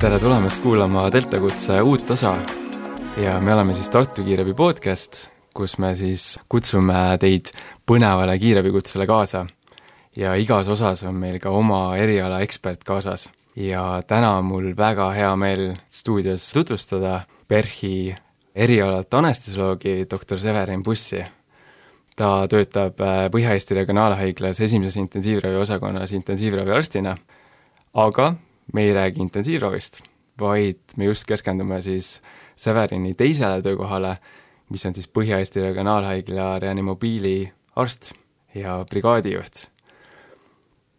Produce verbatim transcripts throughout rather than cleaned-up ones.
Tere tulemast kuulama Delta Kutse uut osa ja me oleme siis Tartu Kiirabi podcast, kus me siis kutsume teid põnevale kiirabikutsele kaasa ja igas osas on meil ka oma eriala ekspert kaasas. Ja täna on mul väga hea meel stuudios tutvustada PERH-i erialalt anestesioloogi doktor Severin Pussi. Ta töötab Põhja-Eesti Regionaalhaiglas esimeses intensiivravi osakonnas intensiivraviarstina, aga me ei räägi intensiivravist, vaid me just keskendume siis Severini teisele töökohale, mis on siis Põhja-Eesti Regionaalhaigla reanimobiili arst ja brigaadijuht.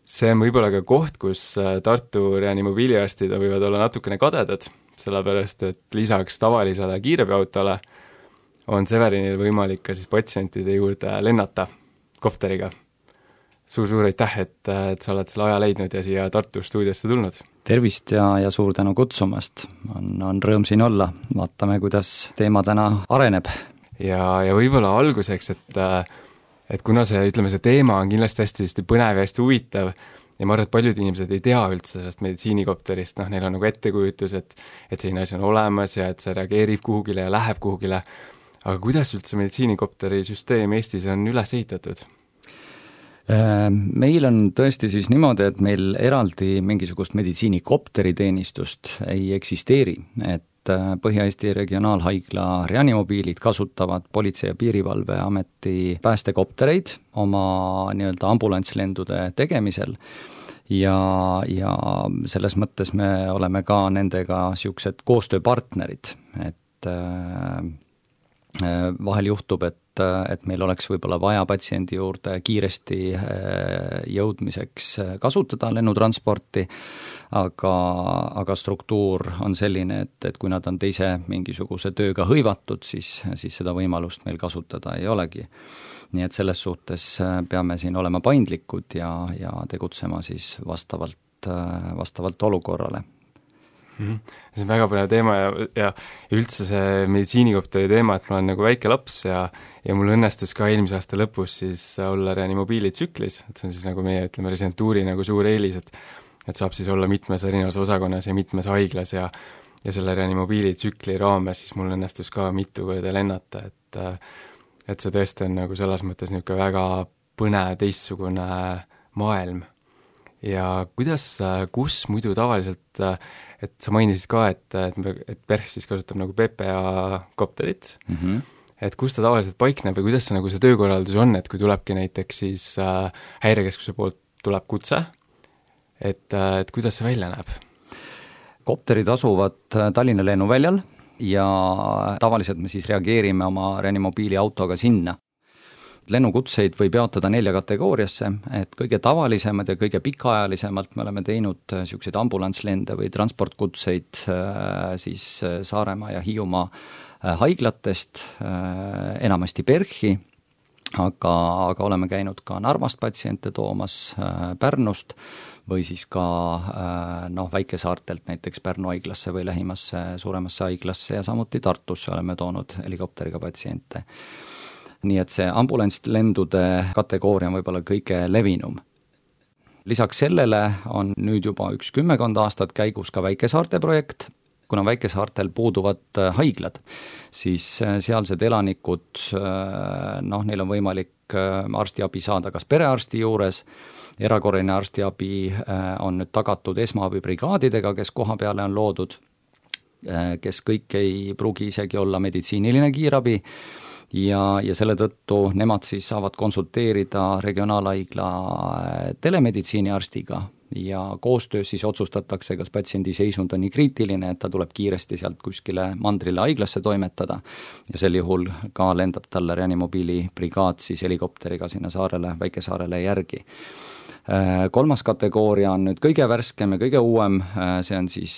See on võib-olla ka koht, kus Tartu reanimobiiliarstid võivad olla natukene kadedad, sellepärast et lisaks tavalisele kiirabiautole on Severinil võimalik ka siis patsientide juurde lennata kopteriga. Suur-suur aitäh, et, et sa oled selle aja leidnud ja siia Tartu stuudiosse tulnud. Tervist ja, ja suur tänu kutsumast. On, on rõõm siin olla. Vaatame, kuidas teema täna areneb. Ja, ja võib-olla alguseks, et, et kuna see, ütleme, see teema on kindlasti hästi, hästi põnev ja hästi huvitav ja ma arvan, et paljud inimesed ei tea üldse sellest meditsiinikopterist, noh, neil on nagu ettekujutus, et, et selline asi on olemas ja et see reageerib kuhugile ja läheb kuhugile. Aga kuidas üldse meditsiinikopteri süsteem Eestis on üles ehitatud? Meil on tõesti siis niimoodi, et meil eraldi mingisugust meditsiinikopteriteenistust ei eksisteeri, et Põhja-Eesti Regionaalhaigla reanimobiilid kasutavad Politsei- ja Piirivalveameti päästekoptereid oma nii-öelda ambulantslendude tegemisel ja, ja selles mõttes me oleme ka nendega niisugused koostööpartnerid, et vahel juhtub, et, et meil oleks võib-olla vaja patsiendi juurde kiiresti jõudmiseks kasutada lennutransporti, aga, aga struktuur on selline, et, et kui nad on teise mingisuguse tööga hõivatud, siis, siis seda võimalust meil kasutada ei olegi. Nii et selles suhtes peame siin olema paindlikud ja, ja tegutsema siis vastavalt, vastavalt olukorrale. See on väga põnev teema ja, ja üldse see meditsiinikopteri teema, et ma olen nagu väike laps ja, ja mul õnnestus ka eelmise aasta lõpus siis olla reanimobiili tsüklis, et see on siis nagu meie, ütleme, residentuuri nagu suur eelis, et, et saab siis olla mitmes erinevas osakonnas ja mitmes haiglas ja, ja selle reanimobiili tsükli raames siis mul õnnestus ka mitu korda lennata, et, et see tõesti on nagu selles mõttes niisugune väga põnev teistsugune maailm. Ja kuidas, kus muidu tavaliselt, et sa mainisid ka, et, et, et PERH siis kasutab nagu P P A kopterit, mm-hmm. et kus ta tavaliselt paikneb või kuidas see, nagu see töökorraldus on, et kui tulebki näiteks siis äh, häirekeskuse poolt tuleb kutse, et, et kuidas see välja näeb? Kopterid asuvad Tallinna lennuväljal ja tavaliselt me siis reageerime oma reanimobiili autoga sinna. Lennukutseid võib jaotada nelja kategooriasse, et kõige tavalisemad ja kõige pikaajalisemalt me oleme teinud niisuguseid ambulantslende või transportkutseid siis Saaremaa ja Hiiumaa haiglatest, enamasti PERH-i, aga, aga oleme käinud ka Narvast patsiente toomas, Pärnust või siis ka noh, väikesaartelt näiteks Pärnu haiglasse või lähimasse suuremasse haiglasse ja samuti Tartusse oleme toonud helikopteriga patsiente. Nii et see ambulantslendude kategooria on võib-olla kõige levinum. Lisaks sellele on nüüd juba üks kümmekond aastat käigus ka väikesaarte projekt. Kuna väikesaartel puuduvad haiglad, siis sealsed elanikud, noh, neil on võimalik arstiabi saada kas perearsti juures, erakorraline arstiabi on nüüd tagatud esmaabibrigaadidega, kes koha peale on loodud, kes kõik ei pruugi isegi olla meditsiiniline kiirabi, ja, ja selle tõttu nemad siis saavad konsulteerida regionaalhaigla telemeditsiiniarstiga ja koostöös siis otsustatakse, kas patsiendi seisund on nii kriitiline, et ta tuleb kiiresti sealt kuskile mandrile haiglasse toimetada ja sel juhul ka lendab talle reanimobiili brigaad siis helikopteriga sinna saarele, väikesaarele järgi. Kolmas kategooria on nüüd kõige värskem ja kõige uuem, see on siis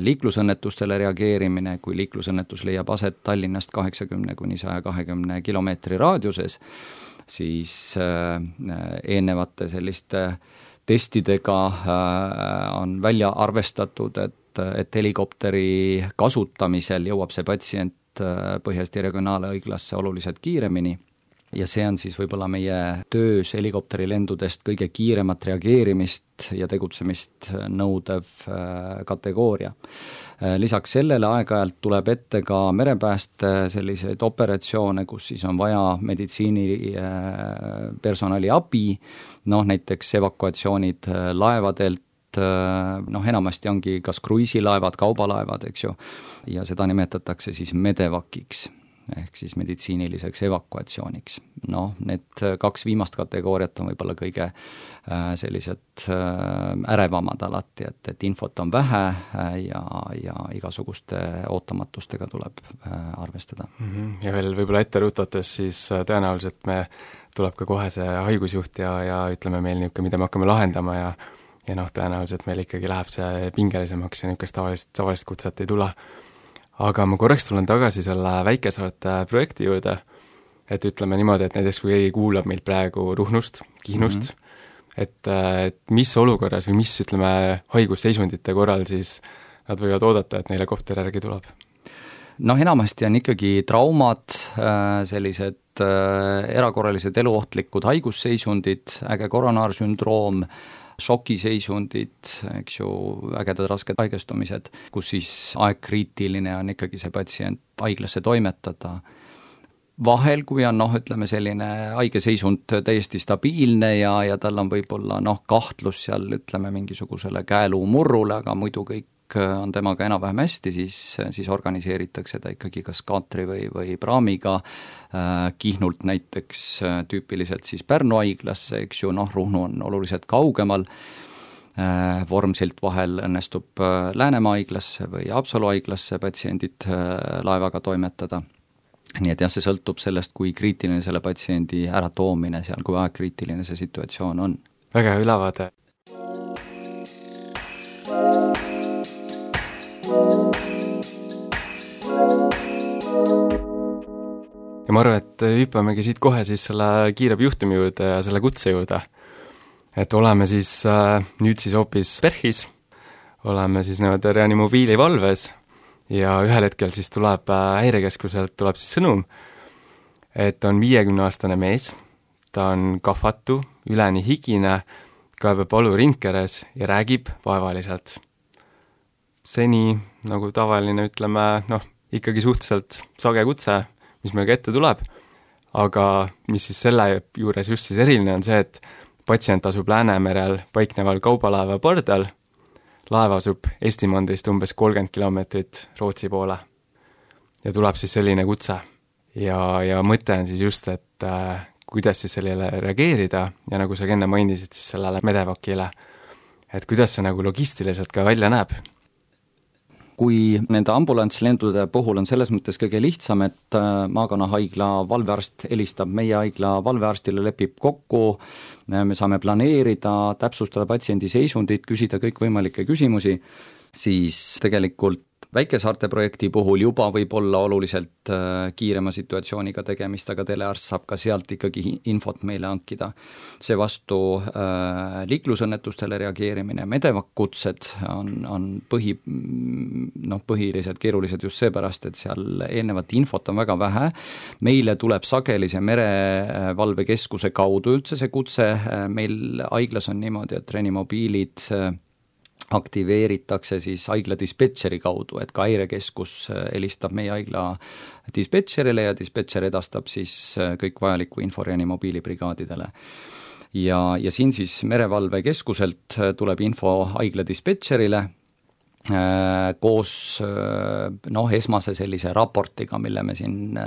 liiklusõnnetustele reageerimine, kui liiklusõnnetus leiab aset Tallinnast kaheksakümne kuni saja kahekümne kilomeetri raadiuses, siis eelnevate selliste testidega on välja arvestatud, et, et helikopteri kasutamisel jõuab see patsient Põhja-Eesti Regionaalhaiglasse oluliselt kiiremini ja see on siis võib-olla meie töös helikopterilendudest kõige kiiremat reageerimist ja tegutsemist nõudev kategooria. Lisaks sellele aeg-ajalt tuleb ette ka merepääste selliseid operatsioone, kus siis on vaja meditsiinipersonali abi, noh näiteks evakuatsioonid laevadelt, noh enamasti ongi kas kruiisilaevad, kaubalaevad, eks ju, ja seda nimetatakse siis medevakiks ehk siis meditsiiniliseks evakuatsiooniks. Noh, need kaks viimast kategooriat on võib-olla kõige sellised ärevamad alati, et, et infot on vähe ja, ja igasuguste ootamatustega tuleb arvestada. Ja veel võib-olla ette rutates, siis tõenäoliselt me tuleb ka kohe see haigusjuht ja, ja ütleme meil niisugune, mida me hakkame lahendama ja ja noh, tõenäoliselt meil ikkagi läheb see pingelisemaks ja niisugust tavalist, tavalist kutset ei tule. Aga ma korraks tulen tagasi selle Väikesaarte projekti juurde, et ütleme niimoodi, et näiteks kui keegi kuulab meid praegu Ruhnust, Kihnust, mm-hmm. et, et mis olukorras või mis, ütleme, haigusseisundite korral siis nad võivad oodata, et neile kopter järgi tuleb? Noh, enamasti on ikkagi traumad, sellised erakorralised eluohtlikud haigusseisundid, äge koronaarsündroom, šokiseisundid, eks ju, ägedad rasked haigestumised, kus siis aegkriitiline on ikkagi see patsient haiglasse toimetada. Vahel, kui on noh, ütleme selline haigeseisund täiesti stabiilne ja, ja tal on võib-olla noh, kahtlus seal, ütleme mingisugusele käeluumurrule, aga muidu kõik on temaga enam-vähem hästi, siis, siis organiseeritakse ta ikkagi kas kaatri või, või praamiga äh, Kihnult näiteks äh, tüüpiliselt siis Pärnu haiglasse, eks ju, noh, Ruhnu on oluliselt kaugemal, äh, Vormsilt vahel õnnestub äh, Läänemaa haiglasse või Haapsalu haiglasse patsiendid äh, laevaga toimetada. Nii et jah, see sõltub sellest, kui kriitiline selle patsiendi äratoomine seal, kui aegkriitiline see situatsioon on. Väga hea ülevaade. Ja ma arvan, et hüppamegi siit kohe siis selle kiirabi juhtumi juurde ja selle kutse juurde. Et oleme siis äh, nüüd siis hoopis PERHis, oleme siis nii-öelda reanimobiili valves ja ühel hetkel siis tuleb äh, häirekeskuselt tuleb siis sõnum, et on viiekümneaastane mees, ta on kahvatu, üleni higine, kaebab valu ringkeres ja räägib vaevaliselt. Seni nagu tavaline, ütleme, noh, ikkagi suhteliselt sage kutse, mis meil ette tuleb, aga mis siis selle juures just siis eriline on see, et patsient asub Läänemerel paikneval kaubalaeva pardal, laev asub Eesti mandrist umbes kolmkümmend kilomeetrit Rootsi poole ja tuleb siis selline kutse. Ja, ja mõte on siis just, et äh, kuidas siis sellele reageerida ja nagu sa enne mainisid siis sellele medevakile, et kuidas see nagu logistiliselt ka välja näeb. Kui nende ambulantslendude puhul on selles mõttes kõige lihtsam, et Maakonna-haigla valvearst helistab meie haigla valvearstile, lepib kokku, me saame planeerida, täpsustada patsiendi seisundit, küsida kõikvõimalikke küsimusi, siis tegelikult Väikesaarte projekti puhul juba võib olla oluliselt kiirema situatsiooniga tegemist, aga telearst saab ka sealt ikkagi infot meile hankida. See vastu äh, liiklusõnnetustele reageerimine, medevakkutsed on, on põhi, noh, põhiliselt keerulised just seepärast, et seal eelnevat infot on väga vähe. Meile tuleb sageli see merevalvekeskuse kaudu üldse see kutse, meil haiglas on niimoodi, et reanimobiilid aktiveeritakse siis haigla dispetšeri kaudu, et ka häirekeskus helistab meie haigla dispetšerile ja dispetšer edastab siis kõik vajaliku info reanimobiilibrigaadidele. Ja, ja siin siis merevalvekeskuselt tuleb info haigla dispetšerile koos noh, esmase sellise raportiga, mille me siin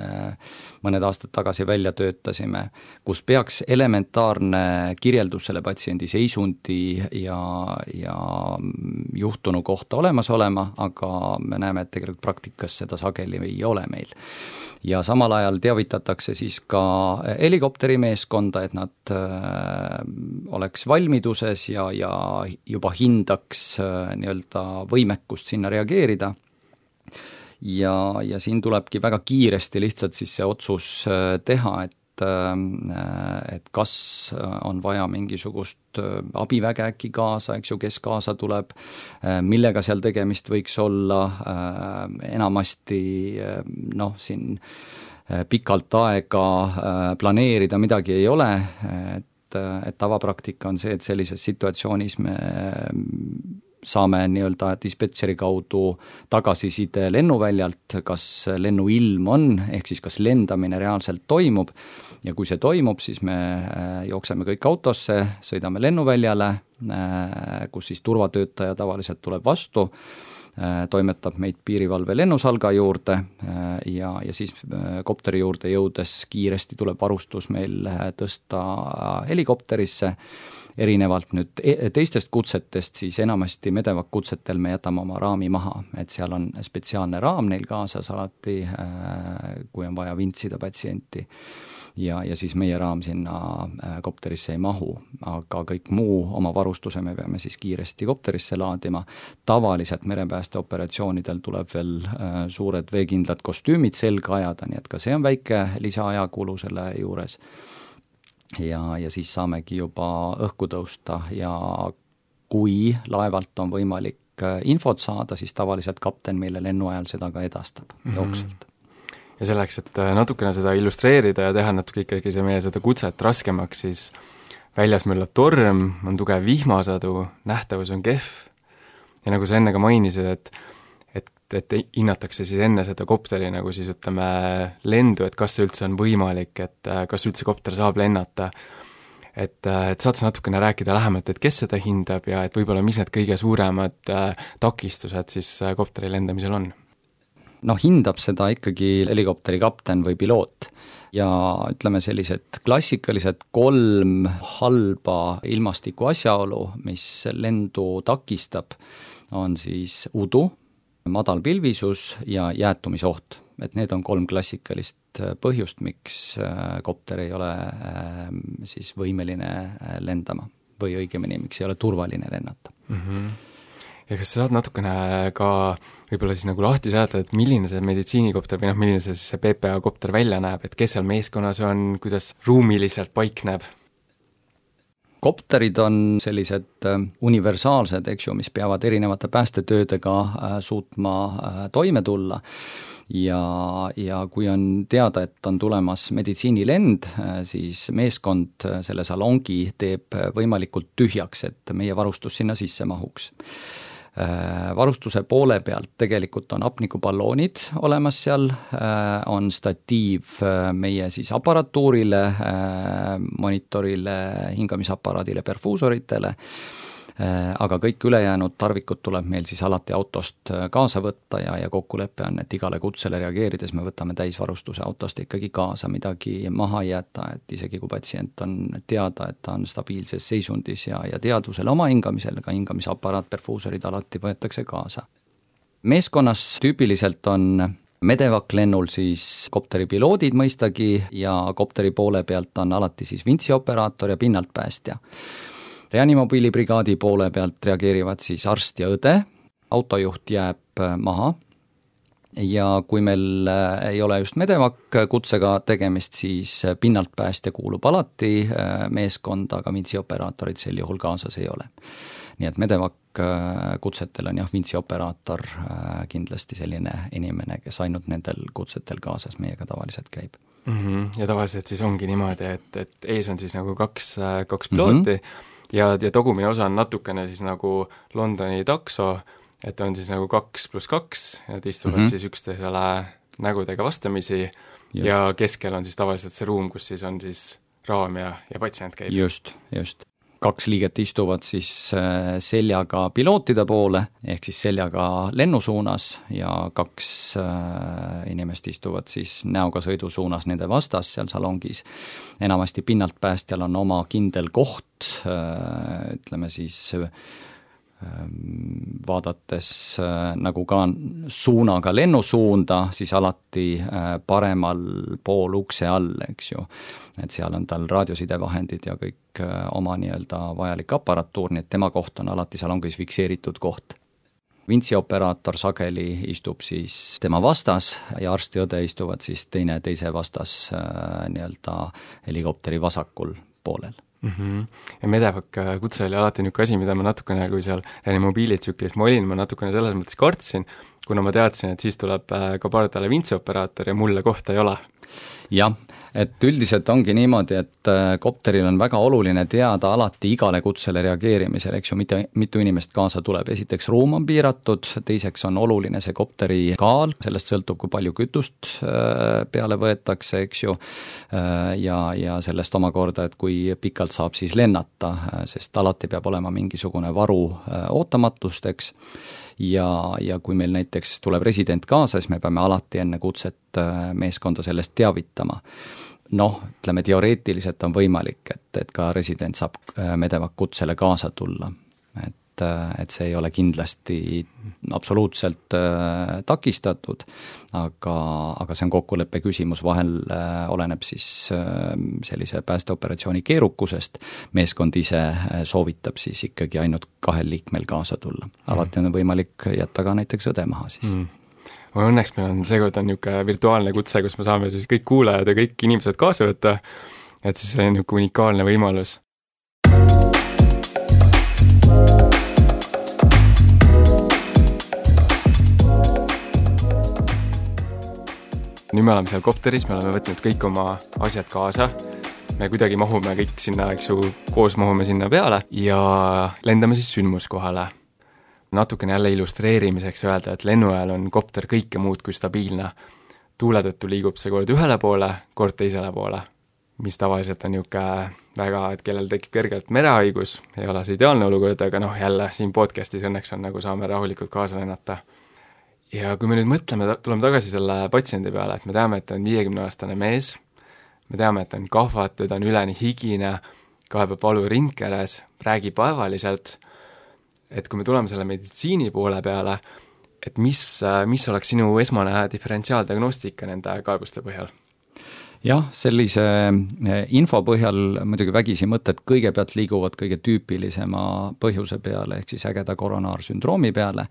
mõned aastad tagasi välja töötasime, kus peaks elementaarne kirjeldus selle patsiendi seisundi ja, ja juhtunu kohta olemas olema, aga me näeme, et tegelikult praktikas seda sageli ei ole meil. Ja samal ajal teavitatakse siis ka helikopterimeeskonda, et nad äh, oleks valmiduses ja, ja juba hindaks äh, nii-öelda võimekust sinna reageerida. Ja, ja siin tulebki väga kiiresti lihtsalt siis see otsus äh, teha, et et kas on vaja mingisugust abiväge äkki kaasa, eks ju, kes kaasa tuleb, millega seal tegemist võiks olla, enamasti noh, siin pikalt aega planeerida midagi ei ole, et, et tavapraktika on see, et sellises situatsioonis me saame nii-öelda dispetšeri kaudu tagasiside lennuväljalt, kas lennuilm on, ehk siis kas lendamine reaalselt toimub, ja kui see toimub, siis me jookseme kõik autosse, sõidame lennuväljale, kus siis turvatöötaja tavaliselt tuleb vastu, toimetab meid piirivalve lennusalga juurde ja, ja siis kopteri juurde jõudes kiiresti tuleb varustus meil tõsta helikopterisse. Erinevalt nüüd teistest kutsetest, siis enamasti Medevac kutsetel me jätame oma raami maha, et seal on spetsiaalne raam neil kaasas alati, kui on vaja vintsida patsienti. Ja, ja siis meie raam sinna kopterisse ei mahu, aga kõik muu oma varustuse me peame siis kiiresti kopterisse laadima. Tavaliselt merepäästeoperatsioonidel tuleb veel suured veekindlad kostüümid selga ajada, nii et ka see on väike lisaajakulu selle juures. Ja, ja siis saamegi juba õhku tõusta ja kui laevalt on võimalik infot saada, siis tavaliselt kapten meile lennu ajal seda ka edastab mm-hmm. jooksvalt. Ja selleks, et natukene seda illustreerida ja teha natuke ikkagi see meie seda kutset raskemaks, siis väljas möllab torm, on tugev vihmasadu, nähtavus on kehv ja nagu sa enne ka mainisid, et et, et hinnatakse siis enne seda kopteri nagu siis ütleme lendu, et kas see üldse on võimalik, et kas üldse kopter saab lennata, et, et saad sa natukene rääkida lähemalt, et kes seda hindab ja et võib-olla mis need kõige suuremad takistused siis kopteri lendamisel on? No hindab seda ikkagi helikopteri kapten või piloot ja ütleme sellised klassikalised kolm halba ilmastiku asjaolu, mis lendu takistab, on siis udu, madal pilvisus ja jäätumisoht. Et need on kolm klassikalist põhjust, miks kopter ei ole siis võimeline lendama või õigemini, miks ei ole turvaline lennata. Mm-hmm. Ja kas sa saad natukene ka võib-olla siis nagu lahti seletada, et milline see meditsiinikopter või noh, milline see, see P P A kopter välja näeb, et kes seal meeskonnas on, kuidas ruumiliselt paikneb? Kopterid on sellised universaalsed, eks ju, mis peavad erinevate päästetöödega suutma toime tulla ja, ja kui on teada, et on tulemas meditsiinilend, siis meeskond selle salongi teeb võimalikult tühjaks, et meie varustus sinna sisse mahuks. Varustuse poole pealt tegelikult on hapnikuballoonid olemas seal, on statiiv meie siis aparatuurile, monitorile, hingamisaparaadile, perfuusoritele, aga kõik ülejäänud tarvikud tuleb meil siis alati autost kaasa võtta ja, ja kokkulepe on, et igale kutsele reageerides me võtame täisvarustuse autost ikkagi kaasa, midagi maha ei jäta, et isegi kui patsient on teada, et ta on stabiilses seisundis ja, ja teadvusel oma hingamisel, ka hingamisaparaat, perfuusorid alati võetakse kaasa. Meeskonnas tüüpiliselt on Medevac lennul siis kopteri piloodid mõistagi ja kopteri poole pealt on alati siis vintsioperaator ja pinnalt päästja. Reanimobiilibrigaadi poole pealt reageerivad siis arst ja õde, autojuht jääb maha ja kui meil ei ole just Medevac kutsega tegemist, siis pinnalt päästja kuulub alati meeskonda, aga vintsiooperaatorid sel juhul kaasas ei ole. Nii et Medevac kutsetel on jah, vintsioperaator kindlasti selline inimene, kes ainult nendel kutsetel kaasas meiega tavaliselt käib. Mm-hmm. Ja tavaliselt siis ongi niimoodi, et, et ees on siis nagu kaks, kaks pilooti, mm-hmm. ja, ja togumine osa on natukene siis nagu Londoni takso, et on siis nagu kaks pluss kaks, et istuvad mm-hmm. siis üksteisele nägudega vastamisi just. Ja keskel on siis tavaliselt see ruum, kus siis on siis raam ja, ja patsient käib. Just, just. Kaks liiget istuvad siis seljaga pilootide poole, ehk siis seljaga lennusuunas ja kaks inimest istuvad siis näoga sõidusuunas nende vastas seal salongis. Enamasti pinnalt päästjal on oma kindel koht, ütleme siis vaadates nagu ka suunaga lennusuunda, siis alati paremal pool ukse all, eks ju. Et seal on tal raadiosidevahendid ja kõik oma nii-öelda vajalik aparatuur, nii et tema koht on alati salongis fikseeritud koht. Vintsioperaator sageli istub siis tema vastas ja arst ja õde istuvad siis teine teise vastas nii-öelda helikopteri vasakul poolel. mm-hmm. Ja Medevac kutse oli alati niisugune asi, mida ma natukene, kui seal reanimobiilitsüklis ma olin, ma natukene selles mõttes kartsin, kuna ma teadsin, et siis tuleb ka pardale vintsioperaator ja mulle kohta ei ole. Jah, et üldiselt ongi niimoodi, et kopteril on väga oluline teada alati igale kutsele reageerimisel, eks ju, mitte, mitu inimest kaasa tuleb. Esiteks ruum on piiratud, teiseks on oluline see kopteri kaal, sellest sõltub, kui palju kütust peale võetakse, eks ju, ja, ja sellest omakorda, et kui pikalt saab siis lennata, sest alati peab olema mingisugune varu ootamatusteks. Ja, ja kui meil näiteks tuleb resident kaasa, siis me peame alati enne kutset meeskonda sellest teavitama. Noh, ütleme teoreetiliselt on võimalik, et, et ka resident saab Medevac kutsele kaasa tulla. Et, et see ei ole kindlasti absoluutselt äh, takistatud, aga, aga see on kokkuleppe küsimus, vahel äh, oleneb siis äh, sellise päästeoperatsiooni keerukusest, meeskond ise äh, soovitab siis ikkagi ainult kahel liikmel kaasa tulla. Alati on võimalik jätta ka näiteks õde maha siis. Mm. Õnneks meil on seekord on niisugune virtuaalne kutse, kus me saame siis kõik kuulajad ja kõik inimesed kaasa võtta, et siis see on niisugune unikaalne võimalus. Nüüd me oleme seal kopteris, me oleme võtnud kõik oma asjad kaasa, me kuidagi mahume kõik sinna, eks ju, koos mahume sinna peale ja lendame siis sündmuskohale. Natukene jälle illustreerimiseks öelda, et lennu ajal on kopter kõike muud kui stabiilne. Tuule tõttu liigub see kord ühele poole, kord teisele poole, mis tavaliselt on niisugune väga, et kellel tekib kergelt merehaigus, ei ole see ideaalne olukord, aga noh, jälle siin podcastis õnneks on, nagu saame rahulikult kaasa lennata. Ja kui me nüüd mõtleme, tuleme tagasi selle patsiendi peale, et me teame, et on viiekümne-aastane mees, me teame, et on kahvatud, on üleni higine, kaebab valu rindkeres, räägib vaevaliselt, et kui me tuleme selle meditsiini poole peale, et mis, mis oleks sinu esmane diferentsiaaldiagnostika nende kaebuste põhjal? Jah, sellise info põhjal muidugi vägisi mõtted kõigepealt liiguvad kõige tüüpilisema põhjuse peale, ehk siis ägeda koronaarsündroomi peale,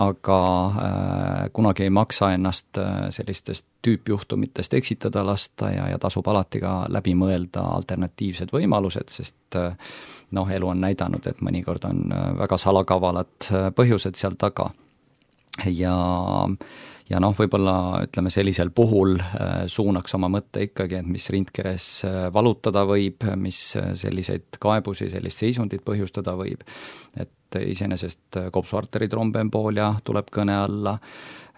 aga äh, kunagi ei maksa ennast sellistest tüüpjuhtumitest eksitada lasta ja, ja tasub alati ka läbi mõelda alternatiivsed võimalused, sest äh, noh, elu on näidanud, et mõnikord on väga salakavalad põhjused seal taga. Ja ja noh, võib-olla ütleme sellisel puhul suunaks oma mõtte ikkagi, et mis rindkeres valutada võib, mis selliseid kaebusi, sellist seisundit põhjustada võib, et iseenesest kopsuarteri trombemboolia tuleb kõne alla,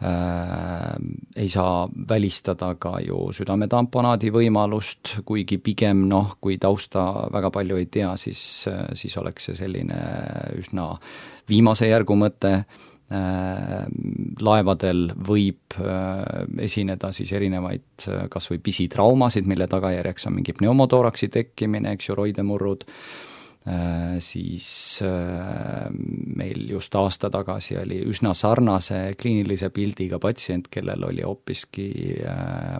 äh, ei saa välistada ka ju südametamponaadi võimalust, kuigi pigem noh, kui tausta väga palju ei tea, siis, siis oleks see selline üsna viimase järgu mõte. Laevadel võib esineda siis erinevaid kas või pisitraumasid, mille tagajärjeks on mingi pneumotooraksi tekkimine, eks ju, roidemurrud, siis meil just aasta tagasi oli üsna sarnase kliinilise pildiga patsient, kellel oli hoopiski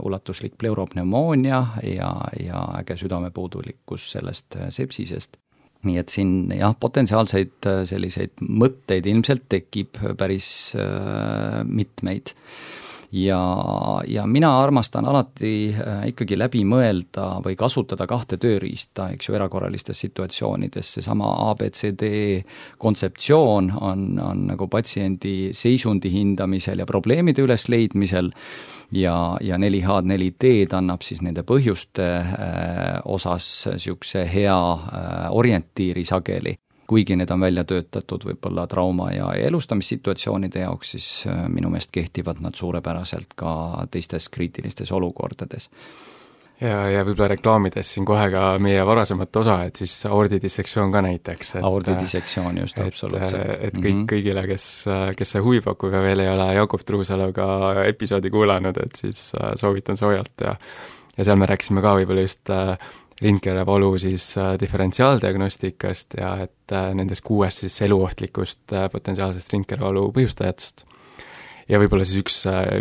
ulatuslik pleuropneumoonia ja, ja äge südamepuudulikkus sellest sepsisest. Nii et siin jah, potentsiaalseid selliseid mõtteid ilmselt tekib päris äh, mitmeid. Ja, ja mina armastan alati äh, ikkagi läbi mõelda või kasutada kahte tööriista, eks ju, erakorralistes situatsioonides. Seesama A B C D kontseptsioon on, on nagu patsiendi seisundi hindamisel ja probleemide ülesleidmisel, ja, ja neli H neli D-d annab siis nende põhjuste äh, osas niisuguse hea äh, orientiiri sageli. Kuigi need on välja töötatud võib-olla trauma- ja elustamissituatsioonide jaoks, siis äh, minu meelest kehtivad nad suurepäraselt ka teistes kriitilistes olukordades. Ja, ja võib-olla reklaamides siin kohe ka meie varasemat osa, et siis aordidissektsioon ka näiteks. Aordidissektsioon just, absoluutselt. Et, et kõik, kõigile, kes, kes see huvi pakub ja veel ei ole Jakob Truusaluga episoodi kuulanud, et siis soovitan soojalt ja, ja seal me rääkisime ka võib-olla just rindkerevalu siis diferentsiaaldiagnostikast ja et nendest kuuest siis eluohtlikust potentsiaalsest rindkerevalu põhjustajatest. Ja võib-olla siis üks,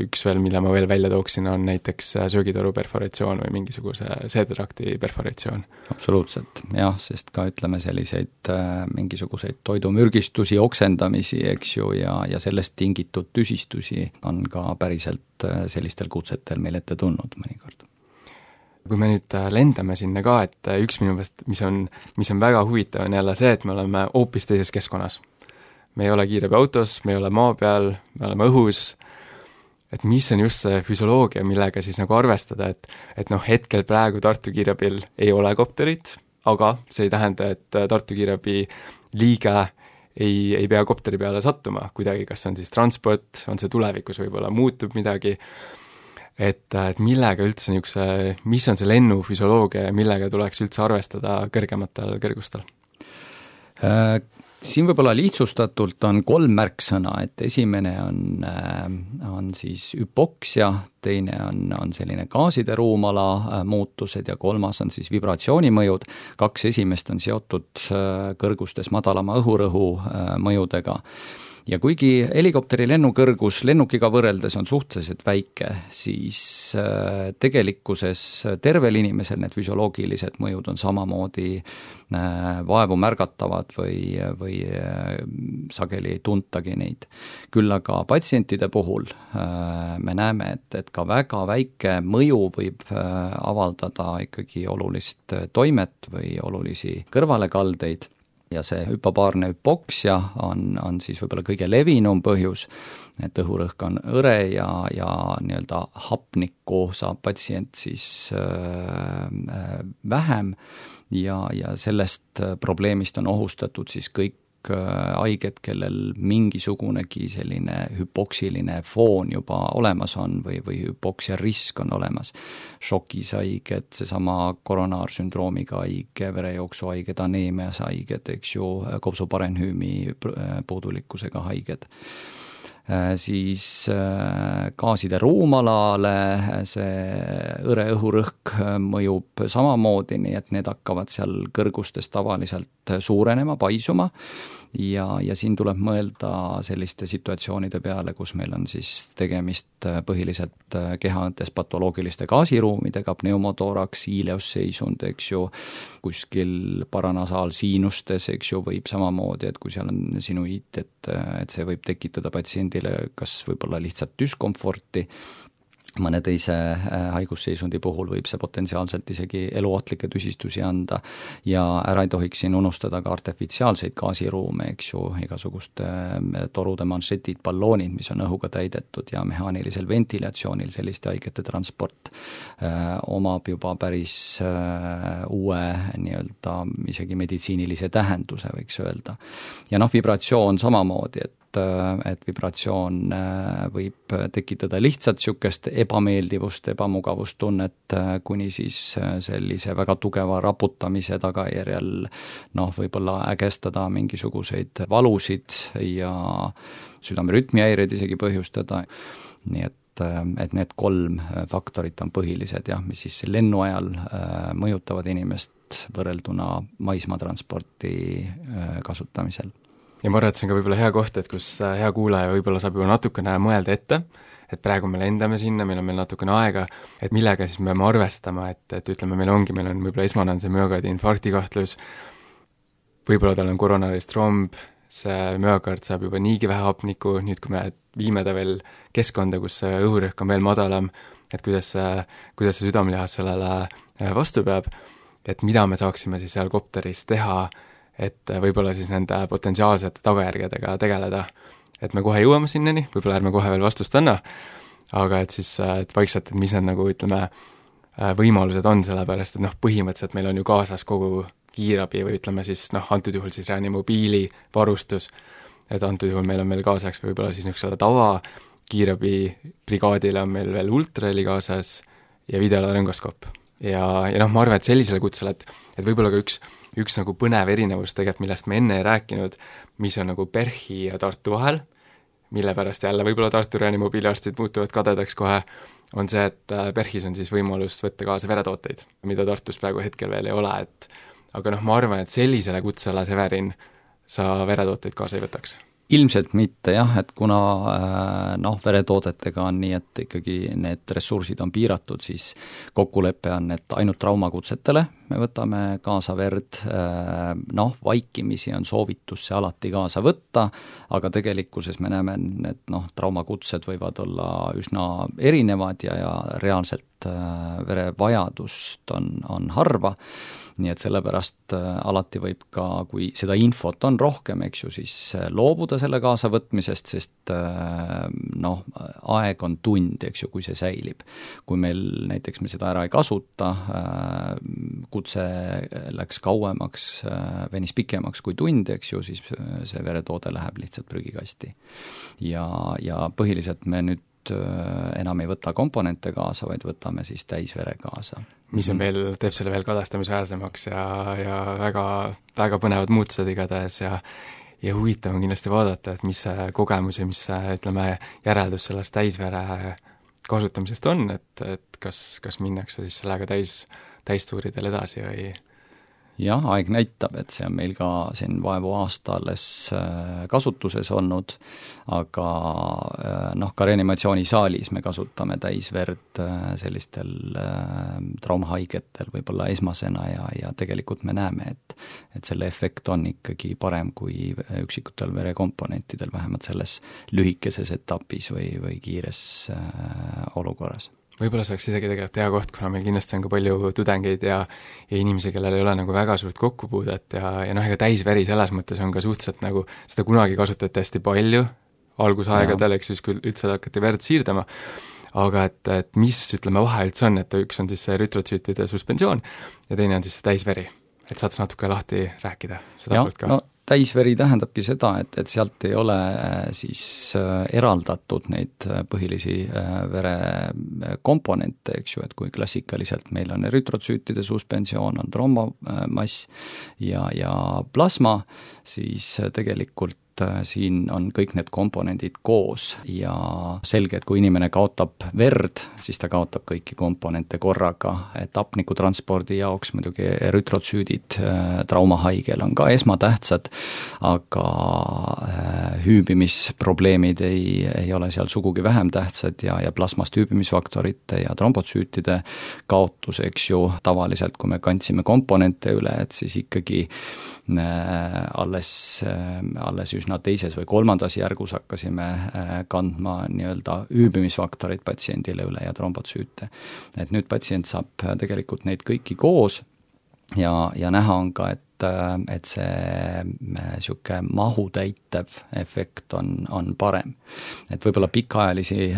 üks veel, mille ma veel välja tooksin, on näiteks söögitoru perforatsioon või mingisuguse seedetrakti perforatsioon. Absoluutselt, jah, sest ka ütleme selliseid äh, mingisuguseid toidumürgistusi, oksendamisi, eks ju, ja, ja sellest tingitud tüsistusi on ka päriselt äh, sellistel kutsetel meil ette tulnud mõnikord. kui me nüüd lendame sinna ka, et üks minu meelest, mis on, mis on väga huvitav, on jälle see, et me oleme hoopis teises keskkonnas. Me ei ole kiirabiautos, me ei ole maa peal, me oleme õhus, et mis on just see füsioloogia, millega siis nagu arvestada, et, et noh, hetkel praegu Tartu kiirabil ei ole kopterit, aga see ei tähenda, et Tartu kiirabi liige ei, ei pea kopteri peale sattuma kuidagi, kas on siis transport, on see tulevikus võib-olla muutub midagi, et, et millega üldse niisuguse, mis on see lennufüsioloogia ja millega tuleks üldse arvestada kõrgematel kõrgustel? Siin võib-olla lihtsustatult on kolm märksõna, et esimene on, on siis hüpoksia, teine on, on selline gaaside ruumala muutused ja kolmas on siis vibratsioonimõjud. Kaks esimest on seotud kõrgustes madalama õhurõhu mõjudega. Ja kuigi helikopteri lennukõrgus lennukiga võrreldes on suhteliselt väike, siis tegelikkuses tervel inimesel need füsioloogilised mõjud on samamoodi vaevu märgatavad või, või sageli ei tuntagi neid. Küll aga patsientide puhul me näeme, et, et ka väga väike mõju võib avaldada ikkagi olulist toimet või olulisi kõrvalekaldeid. Ja see hüpobaarne hüpoksia on, on siis võib-olla kõige levinum põhjus, et õhurõhk on hõre ja, ja nii-öelda hapnikku saab patsient siis äh, vähem ja, ja sellest probleemist on ohustatud siis kõik haiged, kellel mingisugunegi selline hüpoksiline foon juba olemas on või, või hüpoksia risk on olemas. Šokis haiged, seesama koronaarsündroomiga haige, verejooksu haiged, aneemias haiged, eks ju, kopsuparenhüümi puudulikkusega haiged. Siis gaaside ruumalale see hõre õhurõhk mõjub samamoodi, nii et need hakkavad seal kõrgustes tavaliselt suurenema, paisuma ja, ja siin tuleb mõelda selliste situatsioonide peale, kus meil on siis tegemist põhiliselt kehaõntes patoloogiliste gaasiruumidega, pneumotoraks, ileusseisund, eks ju, kuskil paranasaalsiinustes, eks ju, võib samamoodi, et kui seal on sinuiit, et, et see võib tekitada patsiendi kas võib-olla lihtsalt düskomforti, mõne teise haigusseisundi puhul võib see potentsiaalselt isegi eluohtlikke tüsistusi anda ja ära ei tohiks siin unustada ka artifitsiaalseid gaasiruume, eks ju, igasuguste torude manšetid, balloonid, mis on õhuga täidetud ja mehaanilisel ventilatsioonil selliste haigete transport äh, omab juba päris äh, uue nii-öelda isegi meditsiinilise tähenduse, võiks öelda. Ja noh, vibratsioon samamoodi, et et vibratsioon võib tekitada lihtsalt niisugust ebameeldivust, ebamugavustunnet, kuni siis sellise väga tugeva raputamise tagajärjel noh, võib-olla ägestada mingisuguseid valusid ja südamerütmihäireid isegi põhjustada. Nii et, et need kolm faktorit on põhilised, jah, mis siis lennu ajal mõjutavad inimest võrrelduna maismaatransporti kasutamisel. Ja ma arvan, et see on ka võib-olla hea koht, et kus hea kuulaja võib-olla saab juba natukene mõelda ette, et praegu me lendame sinna, meil on meil natukene aega, et millega siis me peame arvestama, et, et ütleme, meil ongi, meil on võib-olla esmane on see müokardi infarkti kahtlus, võib-olla tal on koronarist tromb, see müokard saab juba niigi vähe hapnikku, nüüd kui me viime ta veel keskkonda, kus see õhurõhk on veel madalam, et kuidas see, kuidas see südamelihas sellele vastu peab, et mida me saaksime siis seal kopteris teha, et võib-olla siis nende potentsiaalsete tagajärgedega tegeleda. Et me kohe jõuame sinnani, võib-olla ärme kohe veel vastust anna, aga et siis et vaikselt, et mis need nagu ütleme, võimalused on, sellepärast, et noh, põhimõtteliselt meil on ju kaasas kogu kiirabi või ütleme siis noh, antud juhul siis reanimobiili varustus, et antud juhul meil on meil kaasaks võib-olla siis niisugusele tava kiirabi brigaadile on meil veel ultraheli kaasas ja videolarengoskoop. Ja, ja noh, ma arvan, et sellisele kutsele, et, et võib-olla ka üks üks nagu põnev erinevus tegelikult, millest me enne ei rääkinud, mis on nagu PERH-i ja Tartu vahel, mille pärast jälle võib-olla Tartu reanimobiiliarstid muutuvad kadedaks kohe, on see, et PERH-is on siis võimalus võtta kaasa veretooteid, mida Tartus praegu hetkel veel ei ole, et aga noh, ma arvan, et sellisele kutsele, Severin, sa veretooteid kaasa ei võtaks. ilmselt mitte jah, et kuna noh, veretoodetega on nii, et ikkagi need ressursid on piiratud, siis kokkulepe on, et ainult traumakutsetele me võtame kaasa verd, noh, vaikimisi on soovitus see alati kaasa võtta, aga tegelikkuses me näeme, et noh, traumakutsed võivad olla üsna erinevad ja, ja reaalselt verevajadust on, on harva, nii et sellepärast alati võib ka, kui seda infot on rohkem, eks ju, siis loobuda selle kaasavõtmisest, sest noh, aeg on tund, eks ju, kui see säilib. Kui meil näiteks me seda ära ei kasuta, kutse läks kauemaks, venis pikemaks kui tund, eks ju, siis see veretoode läheb lihtsalt prügikasti. Ja, ja põhiliselt me nüüd enam ei võta komponente kaasa, vaid võtame siis täisvere kaasa. Mis on veel, teeb selle veel kadastamisväärsemaks ja, ja väga, väga põnevad muutused igatahes ja ja huvitav on kindlasti vaadata, et mis see kogemus ja mis see, ütleme, järeldus sellest täisvere kasutamisest on, et, et kas, kas minnakse siis sellega täis, täistuuridel edasi või jah, aeg näitab, et see on meil ka siin vaevu aasta alles kasutuses olnud, aga noh, ka reanimatsioonisaalis me kasutame täisverd sellistel traumahaigetel võib-olla esmasena ja, ja tegelikult me näeme, et, et selle efekt on ikkagi parem kui üksikutel verekomponentidel, vähemalt selles lühikeses etapis või, või kiires olukorras. Võib-olla see oleks isegi tegelikult hea koht, kuna meil kindlasti on ka palju tudengeid ja, ja inimesi, kellel ei ole nagu väga suurt kokkupuudet ja, ja noh, ega täisveri selles mõttes on ka suhteliselt nagu, seda kunagi kasutati hästi palju, algusaegadel, eks siis küll üldse hakati verd siirdama, aga et, et mis, ütleme, vahe üldse on, et üks on siis see rütrotsüütide suspensioon ja teine on siis see täisveri. Et saad sa natuke lahti rääkida seda ja, poolt ka? No, täisveri tähendabki seda, et, et sealt ei ole siis eraldatud neid põhilisi verekomponente, eks ju, et kui klassikaliselt meil on rütrotsüütide suspensioon, on trombomass ja, ja plasma, siis tegelikult siin on kõik need komponendid koos ja selge, et kui inimene kaotab verd, siis ta kaotab kõiki komponente korraga, et hapnikutranspordi jaoks muidugi rütrotsüüdid traumahaigel on ka esmatähtsad, aga hüübimisprobleemid ei, ei ole seal sugugi vähem tähtsad ja, ja plasmast hüübimisfaktorite ja trombotsüütide kaotus, eks ju, tavaliselt kui me kandsime komponente üle, et siis ikkagi alles, alles üsna teises või kolmandas järgus hakkasime kandma nii-öelda hüübimisfaktorid patsiendile üle ja trombotsüüte. Et nüüd patsient saab tegelikult neid kõiki koos ja, ja näha on ka, et et see niisugune mahutäitev efekt on, on parem. Et võib-olla pikaajalisi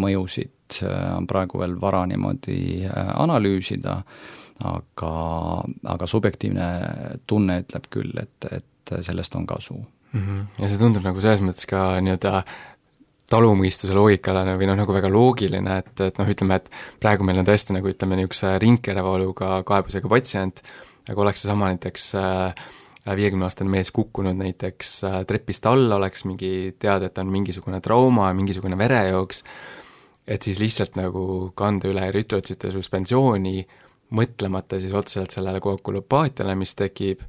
mõjusid on praegu veel vara niimoodi analüüsida, aga, aga subjektiivne tunne ütleb küll, et, et sellest on kasu. Mm-hmm. Ja see tundub nagu selles mõttes ka nii-öelda talumõistuse loogikale või noh, nagu väga loogiline, et, et noh, ütleme, et praegu meil on tõesti nagu ütleme niisuguse ringkerevaluga kaebusega patsient, aga oleks seesama näiteks viiekümne-aastane mees kukkunud näiteks trepist alla, oleks mingi teada, et on mingisugune trauma, mingisugune verejooks, et siis lihtsalt nagu kanda üle rütrotsüütide suspensiooni, mõtlemata siis otseselt sellele koagulopaatiale, mis tekib,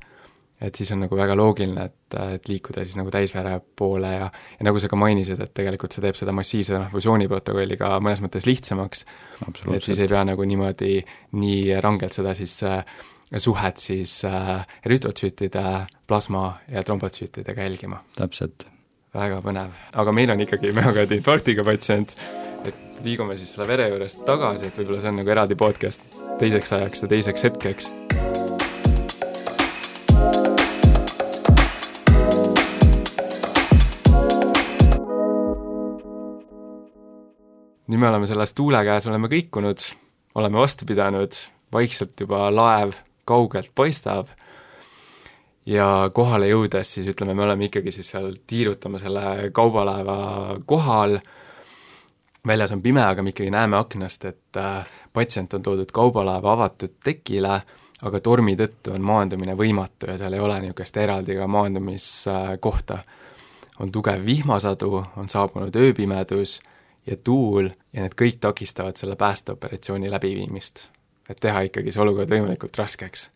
et siis on nagu väga loogiline, et, et liikuda siis nagu täisvere poole ja, ja nagu sa ka mainisid, et tegelikult see teeb seda massiivse transfusiooniprotokolli ka mõnes mõttes lihtsamaks, et siis ei pea nagu niimoodi nii rangelt seda siis äh, suhet siis äh, rütrotsüütide, plasma ja trombotsüütidega jälgima. Täpselt. Väga põnev. Aga meil on ikkagi müokardiinfarktiga patsient, et liigume siis selle vere juurest tagasi, et võib-olla see on nagu eraldi podcast teiseks ajaks ja teiseks hetkeks. Nüüd me oleme selles tuule käes, oleme kõikunud, oleme vastu pidanud, vaikselt juba laev kaugelt paistab ja kohale jõudes siis ütleme, me oleme ikkagi siis seal tiirutama selle kaubalaeva kohal, väljas on pime, aga me ikkagi näeme aknast, et patsient on toodud kaubalaeva avatud tekile, aga tormi tõttu on maandumine võimatu ja seal ei ole niisugust eraldi ka maandumiskohta. On tugev vihmasadu, on saabunud ööpimedus ja tuul ja need kõik takistavad selle päästeoperatsiooni läbiviimist, et teha ikkagi see olukord võimalikult raskeks.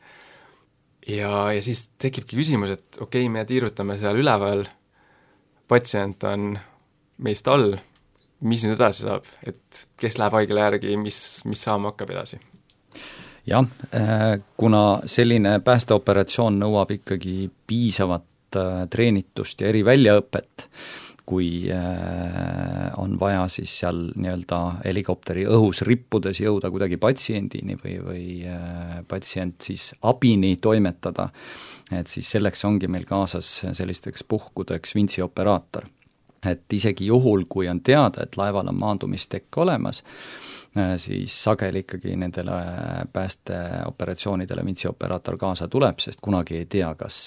Ja, ja siis tekibki küsimus, et okei, okay, me tiirutame seal üleval, patsient on meist all, mis nüüd edasi saab, et kes läheb haigla järgi, mis, mis saama hakkab edasi? jah, kuna selline päästeoperatsioon nõuab ikkagi piisavat treenitust ja eriväljaõpet, kui on vaja siis seal nii-öelda helikopteri õhus rippudes jõuda kuidagi patsiendini või, või patsient siis abini toimetada, et siis selleks ongi meil kaasas sellisteks puhkudeks vintsioperaator. Et isegi juhul, kui on teada, et laeval on maandumistekk olemas, siis sageli ikkagi nendele päästeoperatsioonidele vintsioperaator kaasa tuleb, sest kunagi ei tea, kas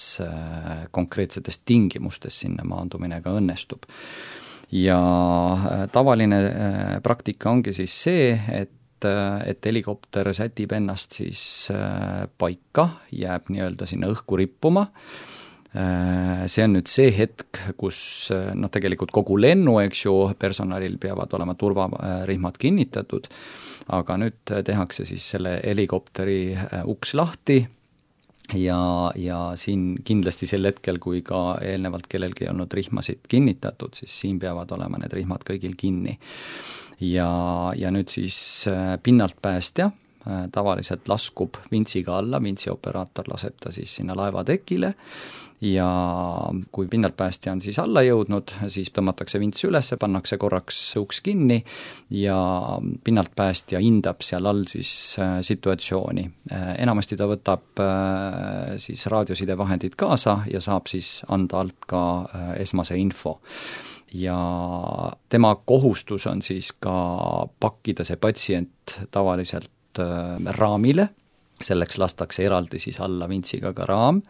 konkreetsetes tingimustes sinna maandumine ka õnnestub. Ja tavaline praktika ongi siis see, et, et helikopter sätib ennast siis paika, jääb nii-öelda sinna õhku rippuma. See on nüüd see hetk, kus noh, tegelikult kogu lennu, eks ju, personalil peavad olema turvarihmad kinnitatud, aga nüüd tehakse siis selle helikopteri uks lahti ja, ja siin kindlasti sel hetkel, kui ka eelnevalt kellelgi ei olnud rihmasid kinnitatud, siis siin peavad olema need rihmad kõigil kinni. Ja, ja nüüd siis pinnalt päästja tavaliselt laskub vintsiga alla, vintsioperaator laseb ta siis sinna laevatekile ja kui pinnaltpäästja on siis alla jõudnud, siis tõmmatakse vints üles, pannakse korraks uks kinni ja pinnaltpäästja hindab seal all siis situatsiooni. Enamasti ta võtab siis raadiosidevahendid kaasa ja saab siis anda alt ka esmase info. Ja tema kohustus on siis ka pakkida see patsient tavaliselt raamile, selleks lastakse eraldi siis alla vintsiga ka raam,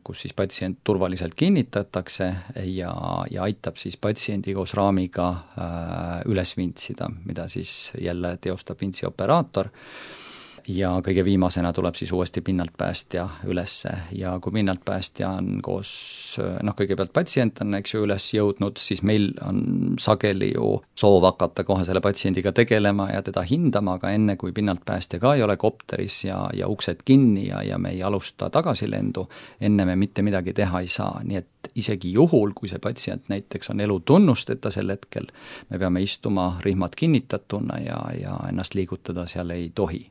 kus siis patsient turvaliselt kinnitatakse ja, ja aitab siis patsiendi koos raamiga üles vintsida, mida siis jälle teostab vintsioperaator. Ja kõige viimasena tuleb siis uuesti pinnaltpäästja ülesse ja kui pinnaltpäästja on koos, noh kõigepealt patsient on, eks ju, üles jõudnud, siis meil on sageli ju soov hakata kohe selle patsiendiga tegelema ja teda hindama, aga enne kui pinnaltpäästja ka ei ole kopteris ja, ja uksed kinni ja, ja me ei alusta tagasilendu, enne me mitte midagi teha ei saa, nii et isegi juhul, kui see patsient näiteks on elutunnusteta sel hetkel, me peame istuma rihmad kinnitatuna ja, ja ennast liigutada seal ei tohi.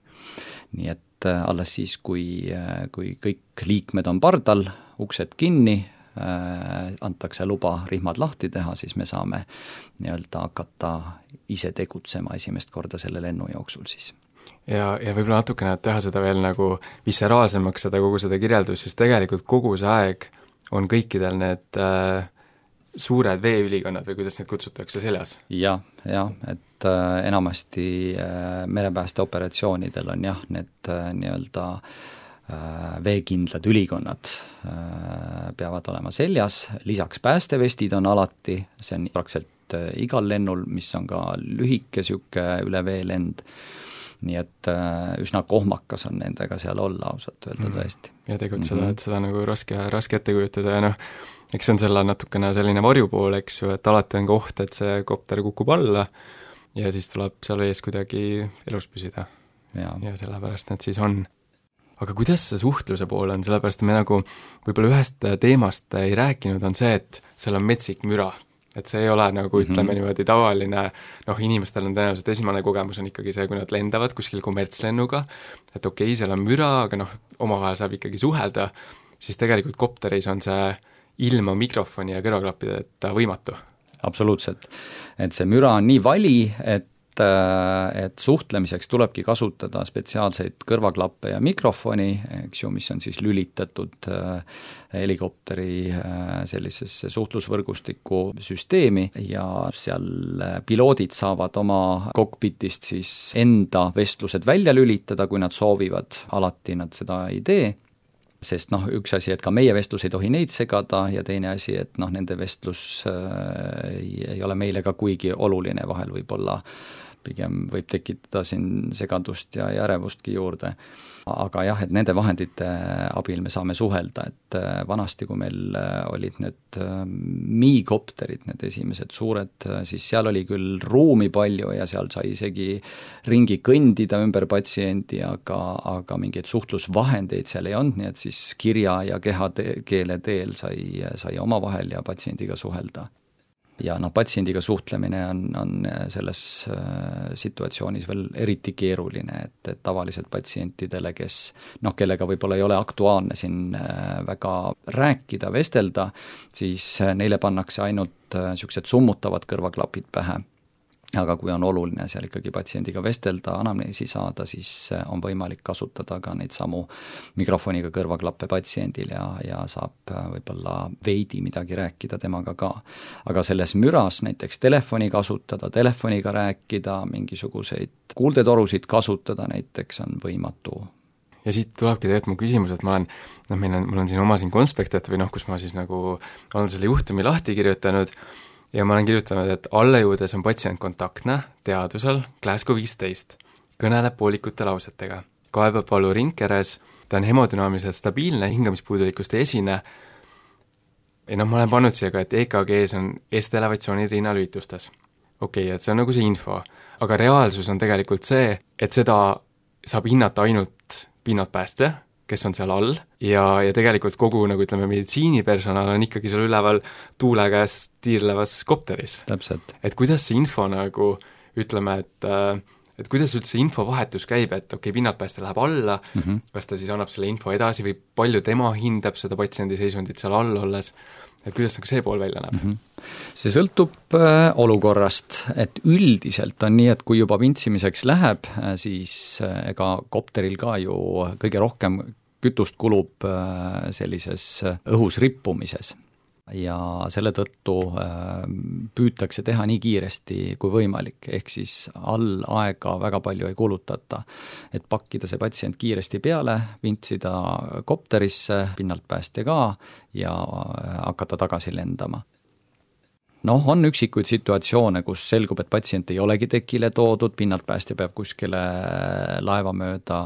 Nii et alles siis, kui, kui kõik liikmed on pardal, uksed kinni, antakse luba rihmad lahti teha, siis me saame nii-öelda hakata ise tegutsema esimest korda selle lennu jooksul siis. Ja, ja võib-olla natukene teha seda veel nagu visceraalsemaks, seda kogu seda kirjeldus, siis tegelikult kogu see aeg on kõikidel need äh, suured veeülikonnad või kuidas neid kutsutakse seljas? Jah, jah, et äh, enamasti äh, merepäästeoperatsioonidel on jah, need äh, nii-öelda äh, veekindlad ülikonnad äh, peavad olema seljas, lisaks päästevestid on alati, see on praktiliselt äh, igal lennul, mis on ka lühike siuke üle veelend, nii et äh, üsna kohmakas on nendega seal olla, ausalt öelda mm. tõesti. Ja tegutseda mm, -hmm. et seda nagu raske, raske ette kujutada ja noh, eks see on selle natukene selline varjupool, eks ju, et alati on koht, et see kopter kukub alla ja siis tuleb seal vees kuidagi elus püsida. Ja, ja sellepärast need siis on. Aga kuidas see suhtluse pool on, sellepärast me nagu võib-olla ühest teemast ei rääkinud, on see, et seal on metsik müra. Et see ei ole nagu ütleme mm -hmm. niimoodi tavaline, noh inimestel on tõenäoliselt esimene kogemus on ikkagi see, kui nad lendavad kuskil kommertslennuga, et okei okay,, seal on müra, aga noh, omavahel saab ikkagi suhelda, siis tegelikult kopteris on see ilma mikrofoni ja kõrvaklappideta võimatu. Absoluutselt. Et see müra on nii vali, et et suhtlemiseks tulebki kasutada spetsiaalseid kõrvaklappe ja mikrofoni, eks ju, mis on siis lülitatud helikopteri sellisesse suhtlusvõrgustiku süsteemi ja seal piloodid saavad oma kokpitist siis enda vestlused välja lülitada, kui nad soovivad, alati nad seda ei tee, sest noh, üks asi, et ka meie vestlus ei tohi neid segada ja teine asi, et noh, nende vestlus äh, ei, ei ole meile ka kuigi oluline, vahel võib olla pigem võib tekitada siin segadust ja ärevustki juurde. Aga jah, et nende vahendite abil me saame suhelda, et vanasti, kui meil olid need miikopterid, need esimesed suured, siis seal oli küll ruumi palju ja seal sai isegi ringi kõndida ümber patsiendi, aga, aga mingeid suhtlusvahendeid seal ei olnud, nii et siis kirja ja kehakeele teel sai, sai omavahel ja patsiendiga suhelda. Ja noh, patsiendiga suhtlemine on, on selles situatsioonis veel eriti keeruline, et, et tavaliselt patsientidele, kes noh, kellega võib-olla ei ole aktuaalne siin väga rääkida, vestelda, siis neile pannakse ainult niisugused summutavad kõrvaklapid pähe. Aga kui on oluline seal ikkagi patsiendiga vestelda, anamneesi saada, siis on võimalik kasutada ka neid samu mikrofoniga kõrvaklappe patsiendil ja, ja saab võib-olla veidi midagi rääkida temaga ka. Aga selles müras näiteks telefoni kasutada, telefoniga rääkida, mingisuguseid kuuldetorusid kasutada näiteks on võimatu. Ja siit tulebki tegelikult mu küsimus, et ma olen, noh, meil on, mul on siin oma siin konspektat või noh, kus ma siis nagu olen selle juhtumi lahti kirjutanud, ja ma olen kirjutanud, et allejõudes on patsient kontaktne, teadusel, Glasgow viisteist, kõneleb poolikute lausetega. Kaebab valu ringkeres, ta on hemodünaamiliselt stabiilne, hingamispuudulikkust ei esine. Ja noh, ma olen pannud siia ka, et E K G-s on estelevatsioonid rinnalüitustes. Okei, okay, et see on nagu see info. Aga reaalsus on tegelikult see, et seda saab hinnata ainult pinnatpääste, kes on seal all, ja, ja tegelikult kogu, nagu ütleme, meditsiinipersonal on ikkagi seal üleval tuule käest tiirlevas kopteris. Täpselt. Et kuidas see info nagu, ütleme, et, et kuidas üldse infovahetus käib, et okei okay,, pinnatpääste läheb alla, mm -hmm. kas ta siis annab selle info edasi või palju tema hindab seda patsiendi seisundit seal all olles, et kuidas nagu see pool välja näeb? Mm -hmm. See sõltub äh, olukorrast, et üldiselt on nii, et kui juba vintsimiseks läheb, siis äh, ega kopteril ka ju kõige rohkem kütust kulub äh, sellises õhus rippumises. Ja selle tõttu äh, püütakse teha nii kiiresti kui võimalik, ehk siis all aega väga palju ei kulutata, et pakkida see patsient kiiresti peale, vintsida kopterisse, pinnalt pääste ka ja hakata tagasi lendama. Noh, on üksikuid situatsioone, kus selgub, et patsient ei olegi tekile toodud, pinnalt päästja peab kuskile laeva mööda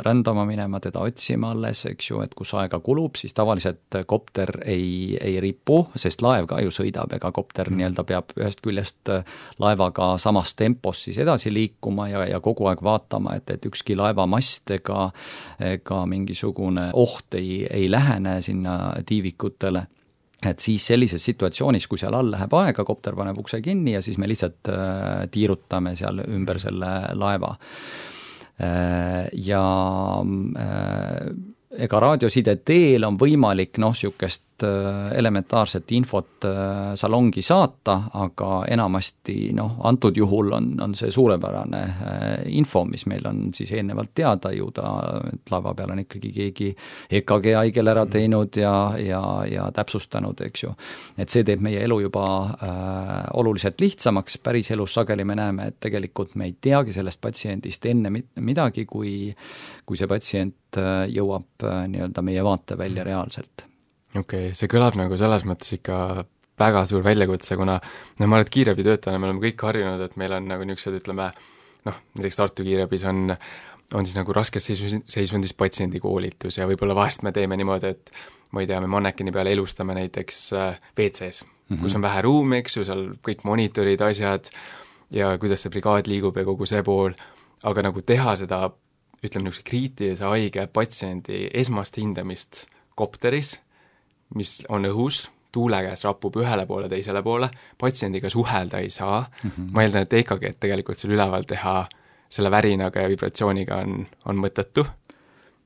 rändama minema, teda otsima alles, eks ju, et kus aega kulub, siis tavaliselt kopter ei, ei ripu, sest laev ka ju sõidab, ega kopter mm. nii-öelda peab ühest küljest laevaga samas tempos siis edasi liikuma ja, ja kogu aeg vaatama, et, et ükski laevamast ega, ega mingisugune oht ei, ei lähene sinna tiivikutele. Et siis sellises situatsioonis, kui seal all läheb aega, kopter paneb ukse kinni ja siis me lihtsalt äh, tiirutame seal ümber selle laeva. Äh, ja äh, ega raadioside teel on võimalik noh, niisugust elementaarset infot salongi saata, aga enamasti noh, antud juhul on, on see suurepärane info, mis meil on siis eelnevalt teada ju ta, et laeva peal on ikkagi keegi E K G haigel ära teinud ja, ja, ja täpsustanud, eks ju. Et see teeb meie elu juba äh, oluliselt lihtsamaks, päris elus sageli me näeme, et tegelikult me ei teagi sellest patsiendist enne midagi, kui, kui see patsient jõuab nii-öelda meie vaate välja reaalselt. Okei, okay, see kõlab nagu selles mõttes ikka väga suur väljakutse, kuna no, ma olen kiirabitöötajana, me oleme kõik harjunud, et meil on nagu niisugused, ütleme, noh, näiteks Tartu kiirabis on, on siis nagu raskes seisundis patsiendi koolitus ja võib-olla vahest me teeme niimoodi, et ma ei tea, me mannekini peale elustame näiteks W C-s, mm -hmm. kus on vähe ruumi, eks ju, seal kõik monitorid, asjad ja kuidas see brigaad liigub ja kogu see pool, aga nagu teha seda, ütleme, niisuguse kriitilise haige patsiendi esmast hindamist kopteris, mis on õhus, tuule käes rapub ühele poole, teisele poole, patsiendiga suhelda ei saa, mm -hmm. ma eeldan, et E K G tegelikult seal üleval teha selle värinaga ja vibratsiooniga on, on mõttetu.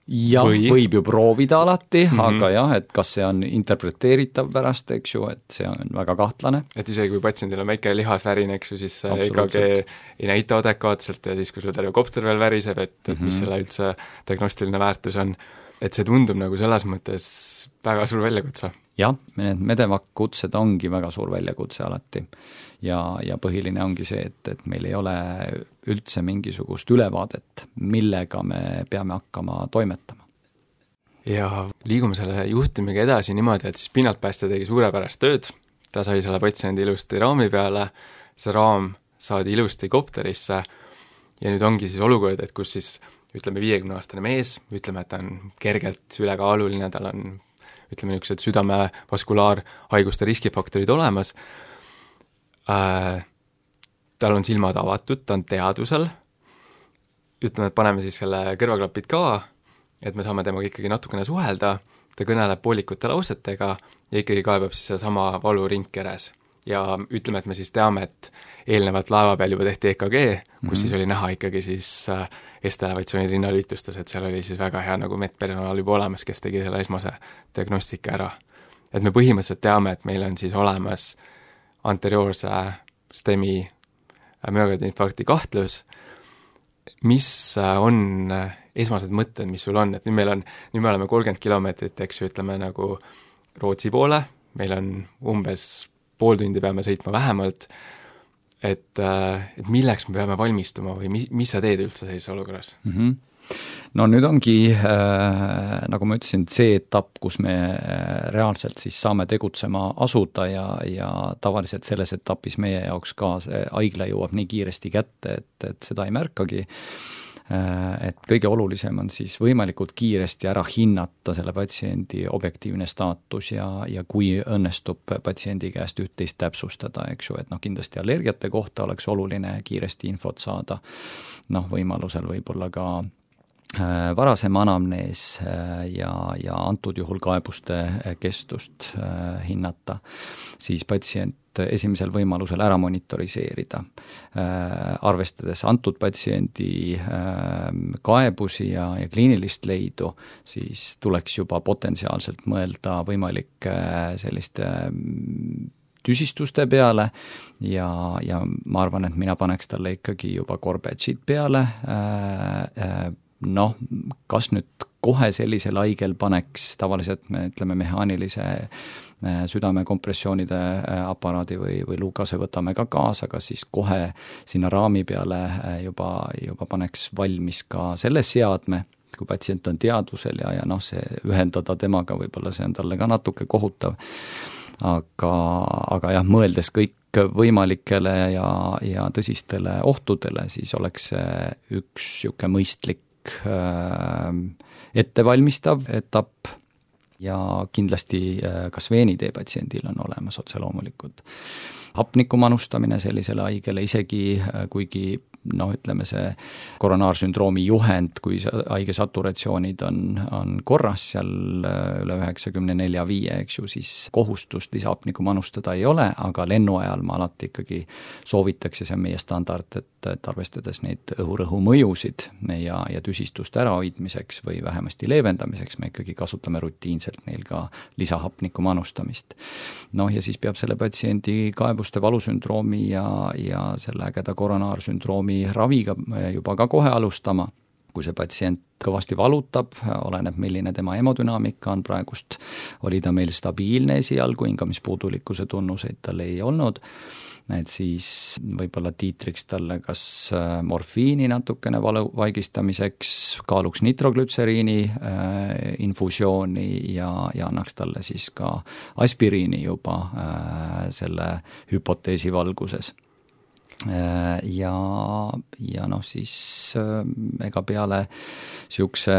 Jah, või... võib ju proovida alati, mm -hmm. aga jah, et kas see on interpreteeritav pärast, eks ju, et see on väga kahtlane. Et isegi kui patsiendil on väike lihasvärin, eks ju, siis E K G ei näita adekvaatselt ja siis, kui sul terve kopter veel väriseb, et, et mm -hmm. mis selle üldse diagnostiline väärtus on. Et see tundub nagu selles mõttes väga suur väljakutse. Jah, need medevakutsed ongi väga suur väljakutse alati. Ja, ja põhiline ongi see, et, et meil ei ole üldse mingisugust ülevaadet, millega me peame hakkama toimetama. Ja liigume selle juhtumiga edasi niimoodi, et siis pinnaltpäästja tegi suurepärast tööd, ta sai selle patsiendi ilusti raami peale, see raam saadi ilusti kopterisse ja nüüd ongi siis olukord, et kus siis ütleme viiekümne-aastane mees, ütleme, et ta on kergelt ülekaaluline, tal on ütleme niisugused südame-vaskulaarhaiguste riskifaktorid olemas, äh, tal on silmad avatud, ta on teadvusel, ütleme, et paneme siis selle kõrvaklapid ka, et me saame temaga ikkagi natukene suhelda, ta kõneleb poolikute lausetega ja ikkagi kaebab siis sedasama valu ringkeres. Ja ütleme, et me siis teame, et eelnevalt laeva peal juba tehti E K G, kus mm-hmm. siis oli näha ikkagi siis S-elevatsioonid rinnalüitustes, et seal oli siis väga hea nagu medpersonal juba olemas, kes tegi selle esmase diagnostika ära. Et me põhimõtteliselt teame, et meil on siis olemas anterioorse stemi müokardiinfarkti kahtlus, mis on esmased mõtted, mis sul on, et nüüd meil on, nüüd me oleme kolmkümmend kilomeetrit, eks ju, ütleme nagu Rootsi poole, meil on umbes pool tundi peame sõitma vähemalt, et, et milleks me peame valmistuma või mis, mis sa teed üldse sellises olukorras? Mm-hmm. No nüüd ongi, äh, nagu ma ütlesin, see etapp, kus me reaalselt siis saame tegutsema asuda ja, ja tavaliselt selles etapis meie jaoks ka see haigla jõuab nii kiiresti kätte, et, et seda ei märkagi. Et kõige olulisem on siis võimalikult kiiresti ära hinnata selle patsiendi objektiivne staatus ja, ja kui õnnestub patsiendi käest üht-teist täpsustada, eks ju, et noh, kindlasti allergiate kohta oleks oluline kiiresti infot saada, noh, võimalusel võib-olla ka varasem anamnees ja, ja antud juhul kaebuste kestust hinnata, siis patsient esimesel võimalusel ära monitoriseerida. Arvestades antud patsiendi kaebusi ja, ja kliinilist leidu, siis tuleks juba potentsiaalselt mõelda võimalike selliste tüsistuste peale ja, ja ma arvan, et mina paneks talle ikkagi juba korbetšid peale, noh, kas nüüd kohe sellisel haigel paneks, tavaliselt me ütleme mehaanilise südamekompressioonide aparaadi või, või luukase võtame ka kaasa, aga siis kohe sinna raami peale juba, juba paneks valmis ka selle seadme, kui patsient on teadvusel ja, ja noh, see ühendada temaga võib-olla see on talle ka natuke kohutav. Aga, aga jah, mõeldes kõik võimalikele ja, ja tõsistele ohtudele, siis oleks see üks siuke mõistlik ettevalmistav etapp ja kindlasti kas veenitee patsiendil on olemas otse loomulikult. Hapniku manustamine sellisele haigele, isegi kuigi noh, ütleme see koronaarsündroomi juhend, kui haige saturatsioonid on, on korras seal üle üheksakümne nelja viie, eks ju, siis kohustust lisahapniku manustada ei ole, aga lennu ajal ma alati ikkagi soovitaks ja see on meie standard, et, et arvestades neid õhurõhu mõjusid ja, ja tüsistuste ärahoidmiseks või vähemasti leevendamiseks, me ikkagi kasutame rutiinselt neil ka lisahapniku manustamist. Noh, ja siis peab selle patsiendi kaebuste valusündroomi ja, ja selle ägeda koronaarsündroomi raviga juba ka kohe alustama, kui see patsient kõvasti valutab, oleneb milline tema hemodünaamika on praegust, oli ta meil stabiilne esialgu, hingamispuudulikkuse tunnuseid tal ei olnud, et siis võib-olla tiitriks talle kas morfiini natukene valu vaigistamiseks, kaaluks nitroglütseriini äh, infusiooni ja, ja annaks talle siis ka aspiriini juba äh, selle hüpoteesi valguses. Ja, ja noh, siis ega peale siukse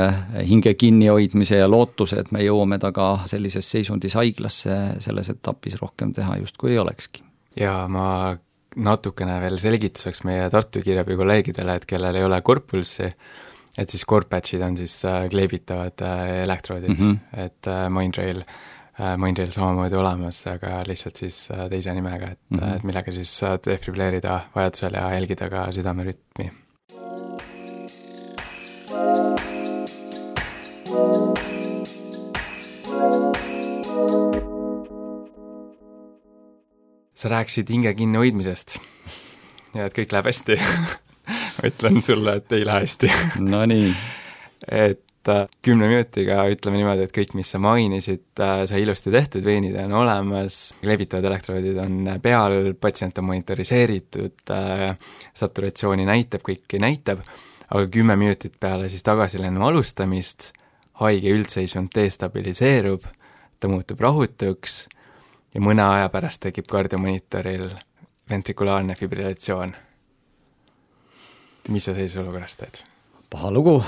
hinge kinni hoidmise ja lootuse, et me jõuame taga sellises seisundis haiglasse, selles etapis rohkem teha justkui ei olekski. Ja ma natukene veel selgituseks meie Tartu Kiirabi kolleegidele, et kellel ei ole korpulsi, et siis korpatšid on siis kleebitavad elektroodid, mm-hmm. et Mindtrail Mindtrail samamoodi olemas, aga lihtsalt siis teise nimega, et, mm-hmm. et millega siis defibreerida vajadusel ja jälgida ka südamerütmi. Sa rääkisid hinge kinni hoidmisest ja et kõik läheb hästi. Ma ütlen sulle, et ei lähe hästi. No nii. Et kümne minutiga ütleme niimoodi, et kõik, mis sa mainisid, sai ilusti tehtud, veenid on olemas, levitavad elektroodid on peal, patsient on monitoriseeritud, saturatsiooni näitab, kõiki näitab, aga kümme minutit peale siis tagasilennu alustamist haige üldseisund destabiliseerub, ta muutub rahutuks ja mõne aja pärast tekib kardiomonitoril ventrikulaarne fibrilatsioon. mis sa sellises olukorras teed? Paha lugu,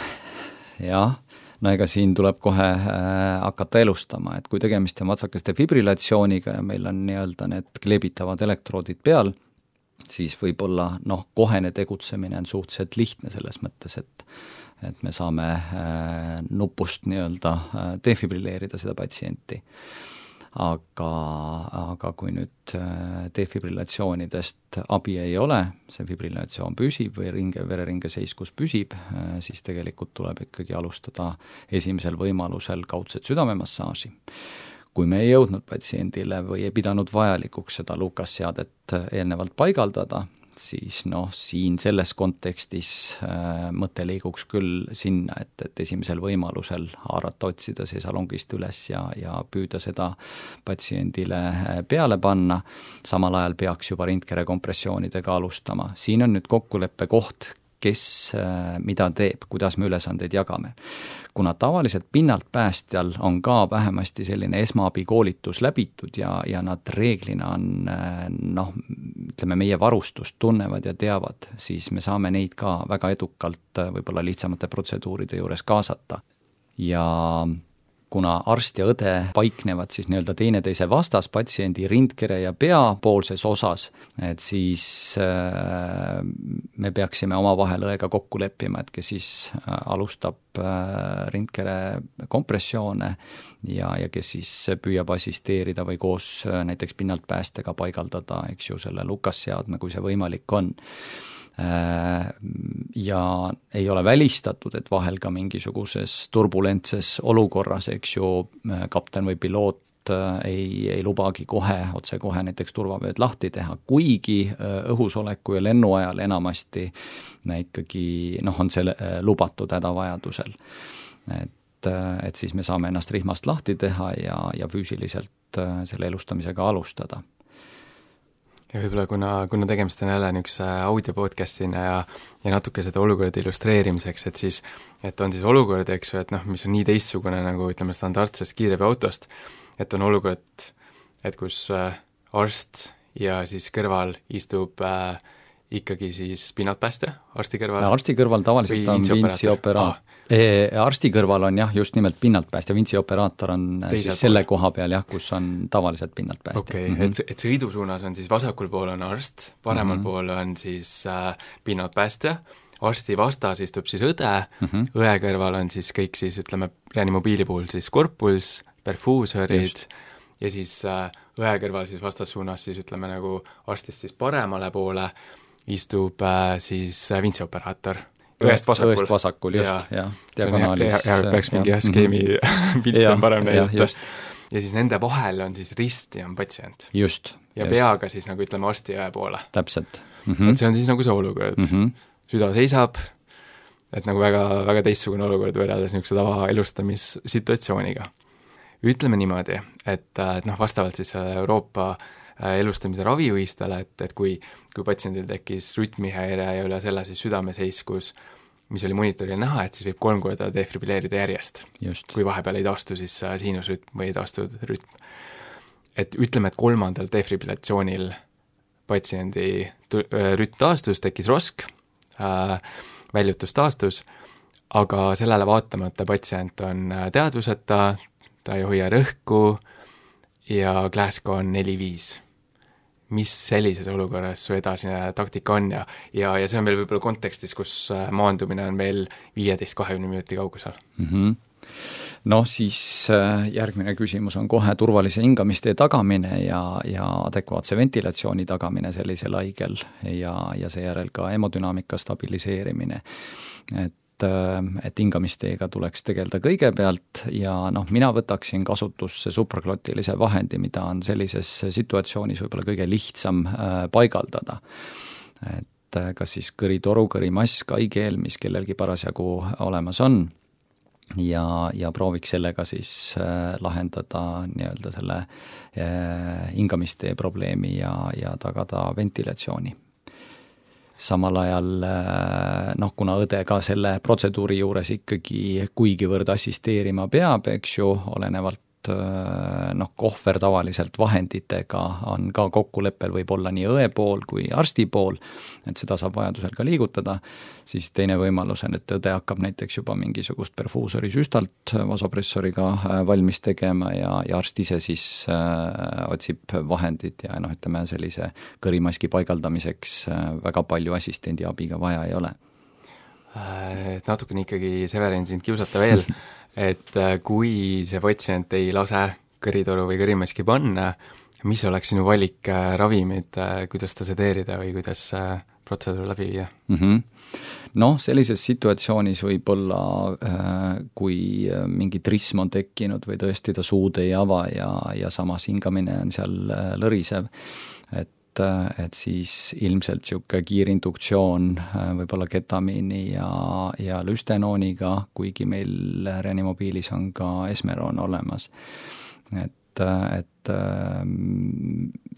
jah. No ega siin tuleb kohe äh, hakata elustama, et kui tegemist on vatsakeste fibrilatsiooniga ja meil on nii-öelda need kleebitavad elektroodid peal, siis võib-olla noh, kohene tegutsemine on suhteliselt lihtne selles mõttes, et et me saame äh, nupust nii-öelda äh, defibrilleerida seda patsienti. Aga, aga kui nüüd defibrillatsioonidest abi ei ole, see fibrillatsioon püsib või ringe, vereringe seiskus püsib, siis tegelikult tuleb ikkagi alustada esimesel võimalusel kaudset südamemassaaži. Kui me ei jõudnud patsiendile või ei pidanud vajalikuks seda Lucas-seadet eelnevalt paigaldada, siis noh, siin selles kontekstis äh, mõte liiguks küll sinna, et, et esimesel võimalusel haarata, otsida see salongist üles ja, ja püüda seda patsiendile peale panna, samal ajal peaks juba rindkere kompressioonidega alustama. Siin on nüüd kokkuleppe koht, kes äh, mida teeb, kuidas me ülesandeid jagame. Kuna tavaliselt pinnalt päästjal on ka vähemasti selline esmaabikoolitus läbitud ja, ja nad reeglina on äh, noh, ütleme meie varustust tunnevad ja teavad, siis me saame neid ka väga edukalt võib-olla lihtsamate protseduuride juures kaasata. Ja kuna arst ja õde paiknevad siis nii-öelda teineteise vastas patsiendi rindkere ja pea poolses osas, et siis äh, me peaksime omavahel õega kokku leppima, et kes siis äh, alustab äh, rindkere kompressioone ja, ja kes siis püüab assisteerida või koos äh, näiteks pinnalt päästega paigaldada, eks ju, selle Lucas-seadme, kui see võimalik on. Ja ei ole välistatud, et vahel ka mingisuguses turbulentses olukorras, eks ju, kapten või piloot ei, ei lubagi kohe, otse kohe näiteks turvavööd lahti teha, kuigi õhusoleku ja lennu ajal enamasti ikkagi noh, on see lubatud hädavajadusel. Et, et siis me saame ennast rihmast lahti teha ja, ja füüsiliselt selle elustamisega alustada. Ja võib-olla kuna, kuna tegemist on jälle niisuguse audio podcastina ja, ja natuke seda olukorda illustreerimiseks, et siis, et on siis olukord, eks ju, et noh, mis on nii teistsugune nagu ütleme standardsest kiirabiautost, et on olukord, et kus äh, arst ja siis kõrval istub äh, ikkagi siis pinnatpäästja arsti kõrval? Arsti kõrval tavaliselt on vintsioperaator. Ah. Arsti kõrval on jah, just nimelt pinnatpäästja, vintsioperaator on Teisel siis selle pool. Koha peal jah, kus on tavaliselt pinnatpäästja. Okei, okay, mm-hmm. et, et sõidusuunas on siis vasakul pool on arst, paremal mm-hmm. pool on siis äh, pinnatpäästja, arsti vastas istub siis õde mm-hmm., õe kõrval on siis kõik siis ütleme, reanimobiili puhul siis korpuls, perfuusorid just. Ja siis äh, õe kõrval siis vastassuunas siis ütleme nagu arstist siis paremale poole istub äh, siis äh, vintsioperaator. Õest vasakul. Õest vasakul, just, jah. Diagonaalis. Ja, ja peaks mingi jah, skeemi pilti on parem näidata. Ja siis nende vahel on siis rist ja on patsient. Just. Ja just. Peaga siis nagu ütleme arsti õe poole. Täpselt. Mm-hmm. Et see on siis nagu see olukord. Mm-hmm. Süda seisab, et nagu väga, väga teistsugune olukord võrreldes niisuguse tava elustamissituatsiooniga. Ütleme niimoodi, et, et noh, vastavalt siis Euroopa elustamise ravijuhistele, et, et kui, kui patsiendil tekkis rütmihäire ja üle selle siis südameseiskus, mis oli monitoril näha, et siis võib kolm korda defibrilleerida järjest. Just. Kui vahepeal ei taastu siis siinusrütm või ei taastu rütm. Et ütleme, et kolmandal defibrillatsioonil patsiendi rütm taastus, tekkis rosk, äh, väljutus taastus, aga sellele vaatamata patsient on teadvuseta, ta ei hoia rõhku ja Glasgow on neli viis. Mis sellises olukorras su edasine taktika on ja, ja, ja see on veel võib-olla kontekstis, kus maandumine on veel viieteist kahekümne minuti kaugusel. Mm-hmm. Noh, siis järgmine küsimus on kohe turvalise hingamistee tagamine ja, ja adekvaatse ventilatsiooni tagamine sellisel haigel ja, ja seejärel ka hemodünaamika stabiliseerimine. Et et hingamisteega tuleks tegeleda kõigepealt ja noh, mina võtaksin kasutusse supraglottilise vahendi, mida on sellises situatsioonis võib-olla kõige lihtsam paigaldada. Et kas siis kõritoru, kõrimask, haigeel, mis kellelgi parasjagu olemas on ja, ja prooviks sellega siis lahendada nii-öelda selle hingamistee probleemi ja, ja tagada ventilatsiooni. Samal ajal, noh, kuna õde ka selle protseduuri juures ikkagi kuigivõrd assisteerima peab, eks ju, olenevalt noh, kohver tavaliselt vahenditega on ka kokkuleppel võib-olla nii õe pool kui arsti pool, et seda saab vajadusel ka liigutada, siis teine võimalus on, et õde hakkab näiteks juba mingisugust perfuusori süstalt vasopressoriga valmis tegema ja, ja arst ise siis äh, otsib vahendid ja noh, ütleme sellise kõrimaski paigaldamiseks äh, väga palju assistendi abiga vaja ei ole. Et natukene ikkagi, Severin, sind kiusata veel, et kui see patsient ei lase kõritoru või kõrimaski panna, mis oleks sinu valik ravimid, kuidas ta sedeerida või kuidas protseduur läbi viia? Mm-hmm. Noh, sellises situatsioonis võib-olla, kui mingi trism on tekkinud või tõesti ta suud ei ava ja, ja samas hingamine on seal lõrisev, et et siis ilmselt niisugune kiirinduktsioon võib-olla ketamiini ja, ja lüstenooniga, kuigi meil reanimobiilis on ka esmeroon olemas. Et, et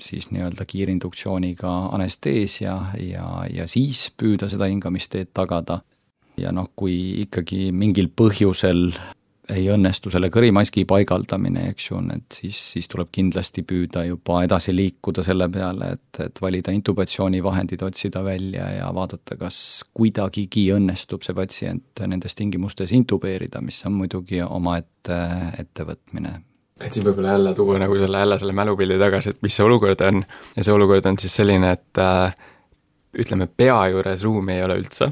siis nii-öelda kiirinduktsiooniga anesteesia ja, ja siis püüda seda hingamisteed tagada. Ja noh, kui ikkagi mingil põhjusel ei õnnestu selle kõrimaski paigaldamine, eks ju, et siis, siis tuleb kindlasti püüda juba edasi liikuda selle peale, et, et valida intubatsioonivahendid, otsida välja ja vaadata, kas kuidagigi õnnestub see patsient nendes tingimustes intubeerida, mis on muidugi oma ette, ettevõtmine. Et siin võib-olla jälle tuua nagu selle, jälle selle mälupildi tagasi, et mis see olukord on, ja see olukord on siis selline, et äh, ütleme, pea juures ruumi ei ole üldse,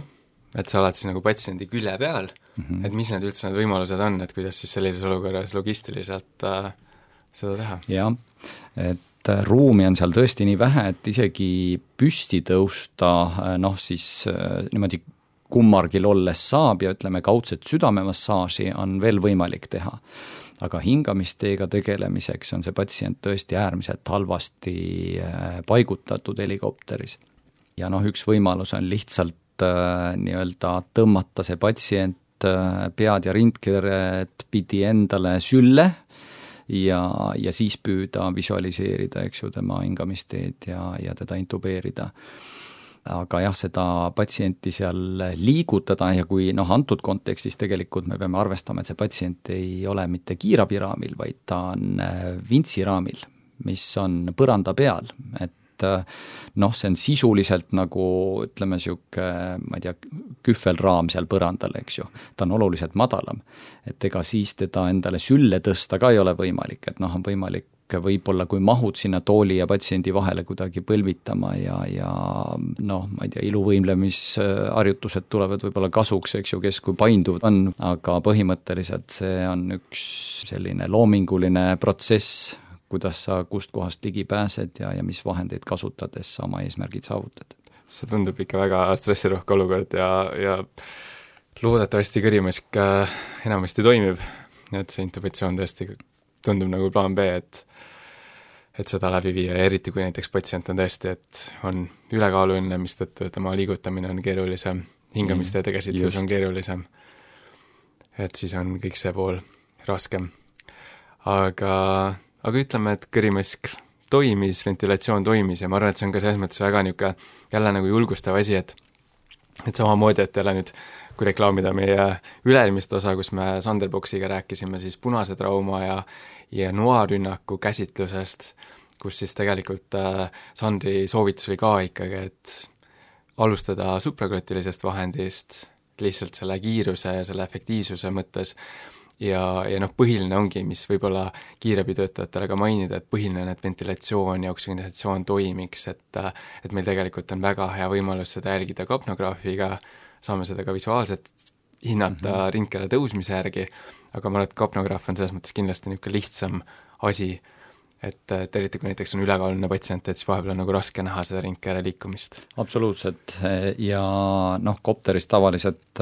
et sa oled siis nagu patsiendi külje peal, mm-hmm. et mis need üldse need võimalused on, et kuidas siis sellises olukorras logistiliselt äh, seda teha? Jah, et ruumi on seal tõesti nii vähe, et isegi püsti tõusta, noh siis äh, niimoodi kummargil olles saab ja ütleme, kaudset südamemassaaži on veel võimalik teha. Aga hingamisteega tegelemiseks on see patsient tõesti äärmiselt halvasti äh, paigutatud helikopteris. Ja noh, üks võimalus on lihtsalt nii-öelda tõmmata see patsient pead ja rindkeret pidi endale sülle ja, ja siis püüda visualiseerida, eks ju, tema hingamisteed ja, ja teda intubeerida. Aga jah, seda patsienti seal liigutada ja kui noh, antud kontekstis tegelikult me peame arvestama, et see patsient ei ole mitte kiirabiraamil, vaid ta on vintsiraamil, mis on põranda peal, et noh, see on sisuliselt nagu ütleme niisugune, ma ei tea, kühvelraam seal põrandal, eks ju, ta on oluliselt madalam, et ega siis teda endale sülle tõsta ka ei ole võimalik, et noh, on võimalik võib-olla kui mahud sinna tooli ja patsiendi vahele kuidagi põlvitama ja, ja noh, ma ei tea, iluvõimlemisharjutused tulevad võib-olla kasuks, eks ju, kes kui painduv on, aga põhimõtteliselt see on üks selline loominguline protsess, kuidas sa kust kohast ligi pääsed ja, ja mis vahendeid kasutades sa oma eesmärgid saavutad. See tundub ikka väga stressirohke olukord ja, ja loodetavasti kõrimask enamasti toimib, et see intubatsioon tõesti tundub nagu plaan B, et et seda läbi viia ja eriti kui näiteks patsient on tõesti, et on ülekaaluline, mis tõttu tema liigutamine on keerulisem, hingamisteede käsitlus on keerulisem, et siis on kõik see pool raskem. Aga aga ütleme, et kõrimask toimis, ventilatsioon toimis ja ma arvan, et see on ka selles mõttes väga niisugune jälle nagu julgustav asi, et et samamoodi, et jälle nüüd, kui reklaamida meie üle-eelmist osa, kus me Sanderboxiga rääkisime siis punase trauma ja, ja noarünnaku käsitlusest, kus siis tegelikult äh, Sandri soovitus oli ka ikkagi, et alustada supraglottilisest vahendist lihtsalt selle kiiruse ja selle efektiivsuse mõttes ja, ja noh, põhiline ongi, mis võib-olla kiirabitöötajatele ka mainida, et põhiline on, et ventilatsioon ja oksügenatsioon toimiks, et et meil tegelikult on väga hea võimalus seda jälgida kapnograafiga, saame seda ka visuaalselt hinnata mm-hmm. rindkere tõusmise järgi, aga ma arvan, et kapnograaf on selles mõttes kindlasti niisugune lihtsam asi, et, et eriti kui näiteks on ülekaaluline patsient, et siis vahepeal on nagu raske näha seda rindkere liikumist. Absoluutselt ja noh, kopteris tavaliselt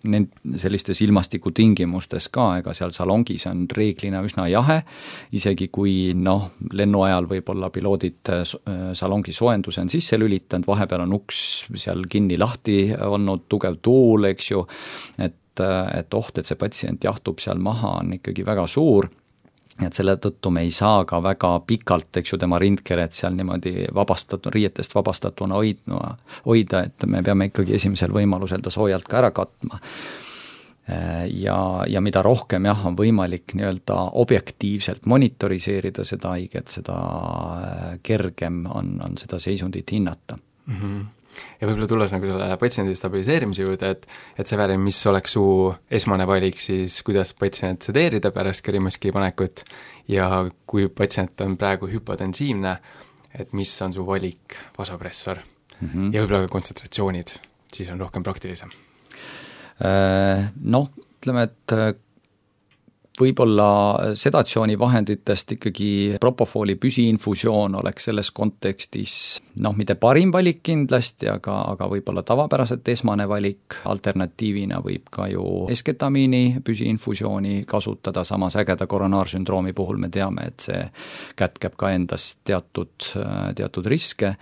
nend, sellistes ilmastikutingimustes ka, ega seal salongis on reeglina üsna jahe, isegi kui noh, lennu ajal võib-olla piloodid salongi soojenduse on sisse lülitanud, vahepeal on uks seal kinni lahti olnud, tugev tuul, eks ju, et, et oht, et see patsient jahtub seal maha, on ikkagi väga suur. Et selle tõttu me ei saa ka väga pikalt, eks ju, tema rindkeret seal niimoodi vabastatud, riietest vabastatuna hoidma, hoida, et me peame ikkagi esimesel võimalusel ta soojalt ka ära katma. ja, ja mida rohkem jah, on võimalik nii-öelda objektiivselt monitoriseerida seda haiget, seda kergem on, on seda seisundit hinnata. Mm-hmm. Ja võib-olla tulles nagu selle patsiendi stabiliseerimise juurde, et, et see väärib, mis oleks su esmane valik, siis kuidas patsient sedeerida pärast kõrimaski panekut ja kui patsient on praegu hüpotensiivne, et mis on su valik vasopressor mm-hmm. ja võib-olla ka kontsentratsioonid, siis on rohkem praktilisem. Noh, ütleme, et võib-olla sedatsioonivahenditest ikkagi propofooli püsiinfusioon oleks selles kontekstis noh, mitte parim valik kindlasti, aga, aga võib-olla tavapäraselt esmane valik, alternatiivina võib ka ju esketamiini püsiinfusiooni kasutada, samas ägeda koronaarsündroomi puhul me teame, et see kätkeb ka endas teatud, teatud riske.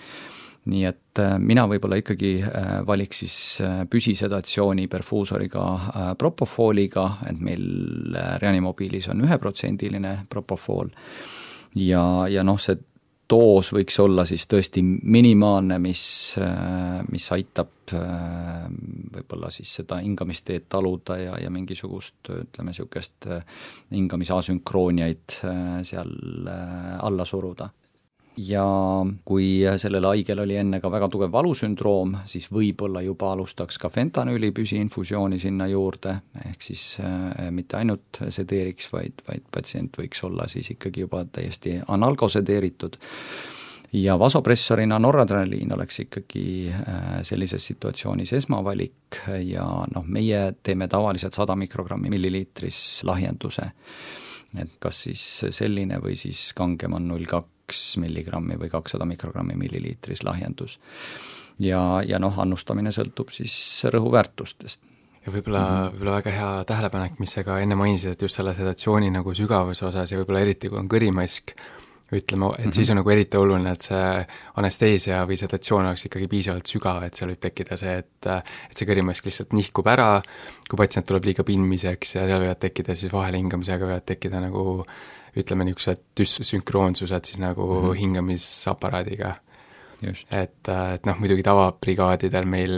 Nii et mina võib-olla ikkagi valiks siis püsisedatsiooni perfuusoriga propofooliga, et meil reanimobiilis on üheprotsendiline propofool ja, ja noh, see doos võiks olla siis tõesti minimaalne, mis, mis aitab võib-olla siis seda hingamisteed taluda ja, ja mingisugust, ütleme, niisugust hingamisasünkrooniaid seal alla suruda. Ja kui sellel haigel oli enne ka väga tugev valusündroom, siis võib-olla juba alustaks ka fentanüüli püsiinfusiooni sinna juurde, ehk siis äh, mitte ainult sedeeriks, vaid, vaid patsient võiks olla siis ikkagi juba täiesti analgosedeeritud. Ja vasopressorina noradrenaliin oleks ikkagi äh, sellises situatsioonis esmavalik ja noh, meie teeme tavaliselt sada mikrogrammi milliliitris lahjenduse, et kas siis selline või siis kangem on null kaks milligrammi või kakssada mikrogrammi milliliitris lahjendus. Ja, ja noh, annustamine sõltub siis rõhuväärtustest. Ja võib-olla, mm-hmm. võib-olla väga hea tähelepanek, mis sa ka enne mainisid, et just selle sedatsiooni nagu sügavuse osas ja võib-olla eriti, kui on kõrimask, ütleme, et mm-hmm. siis on nagu eriti oluline, et see anesteesia või sedatsioon oleks ikkagi piisavalt sügav, et seal võib tekkida see, et, et see kõrimask lihtsalt nihkub ära, kui patsient tuleb liiga pinmiseks ja seal võivad tekkida siis vahelhingamisega võivad tekkida nagu ütleme niisugused düssünkroonsused siis nagu mm-hmm. hingamisaparaadiga. Just. Et, et noh, muidugi tavabrigaadidel meil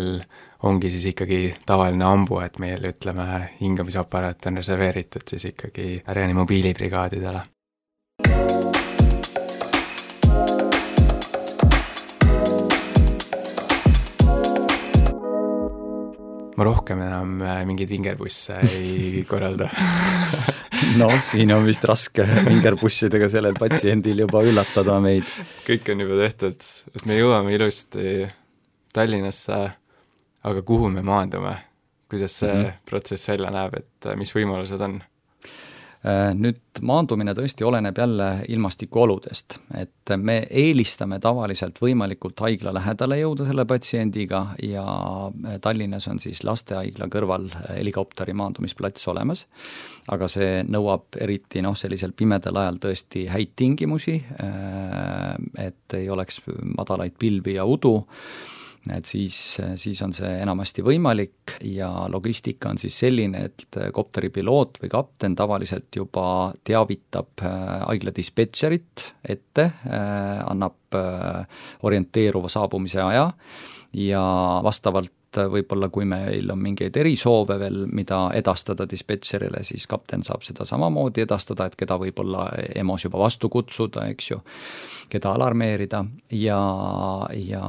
ongi siis ikkagi tavaline ambu, et meil ütleme hingamisaparaat on reserveeritud siis ikkagi reanimobiilibrigaadidele. Ma rohkem enam mingeid vingerbusse ei korralda. No, siin on vist raske vingerbussidega sellel patsiendil juba üllatada meid. Kõik on juba tehtud, et me jõuame ilusti Tallinnasse, aga kuhu me maandume? Kuidas see mm-hmm. protsess välja näeb, et mis võimalused on? Nüüd maandumine tõesti oleneb jälle ilmastikuoludest, et me eelistame tavaliselt võimalikult haigla lähedale jõuda selle patsiendiga ja Tallinnas on siis lastehaigla kõrval helikopteri maandumisplats olemas, aga see nõuab eriti noh, sellisel pimedal ajal tõesti häid tingimusi, et ei oleks madalaid pilvi ja udu, et siis, siis on see enamasti võimalik ja logistika on siis selline, et kopteripiloot või kapten tavaliselt juba teavitab haigla dispetšerit ette, annab orienteeruva saabumise aja ja vastavalt võib-olla kui meil on mingeid erisoove veel, mida edastada dispetšerile, siis kapten saab seda samamoodi edastada, et keda võib-olla E M O-s juba vastu kutsuda, eks ju, keda alarmeerida ja, ja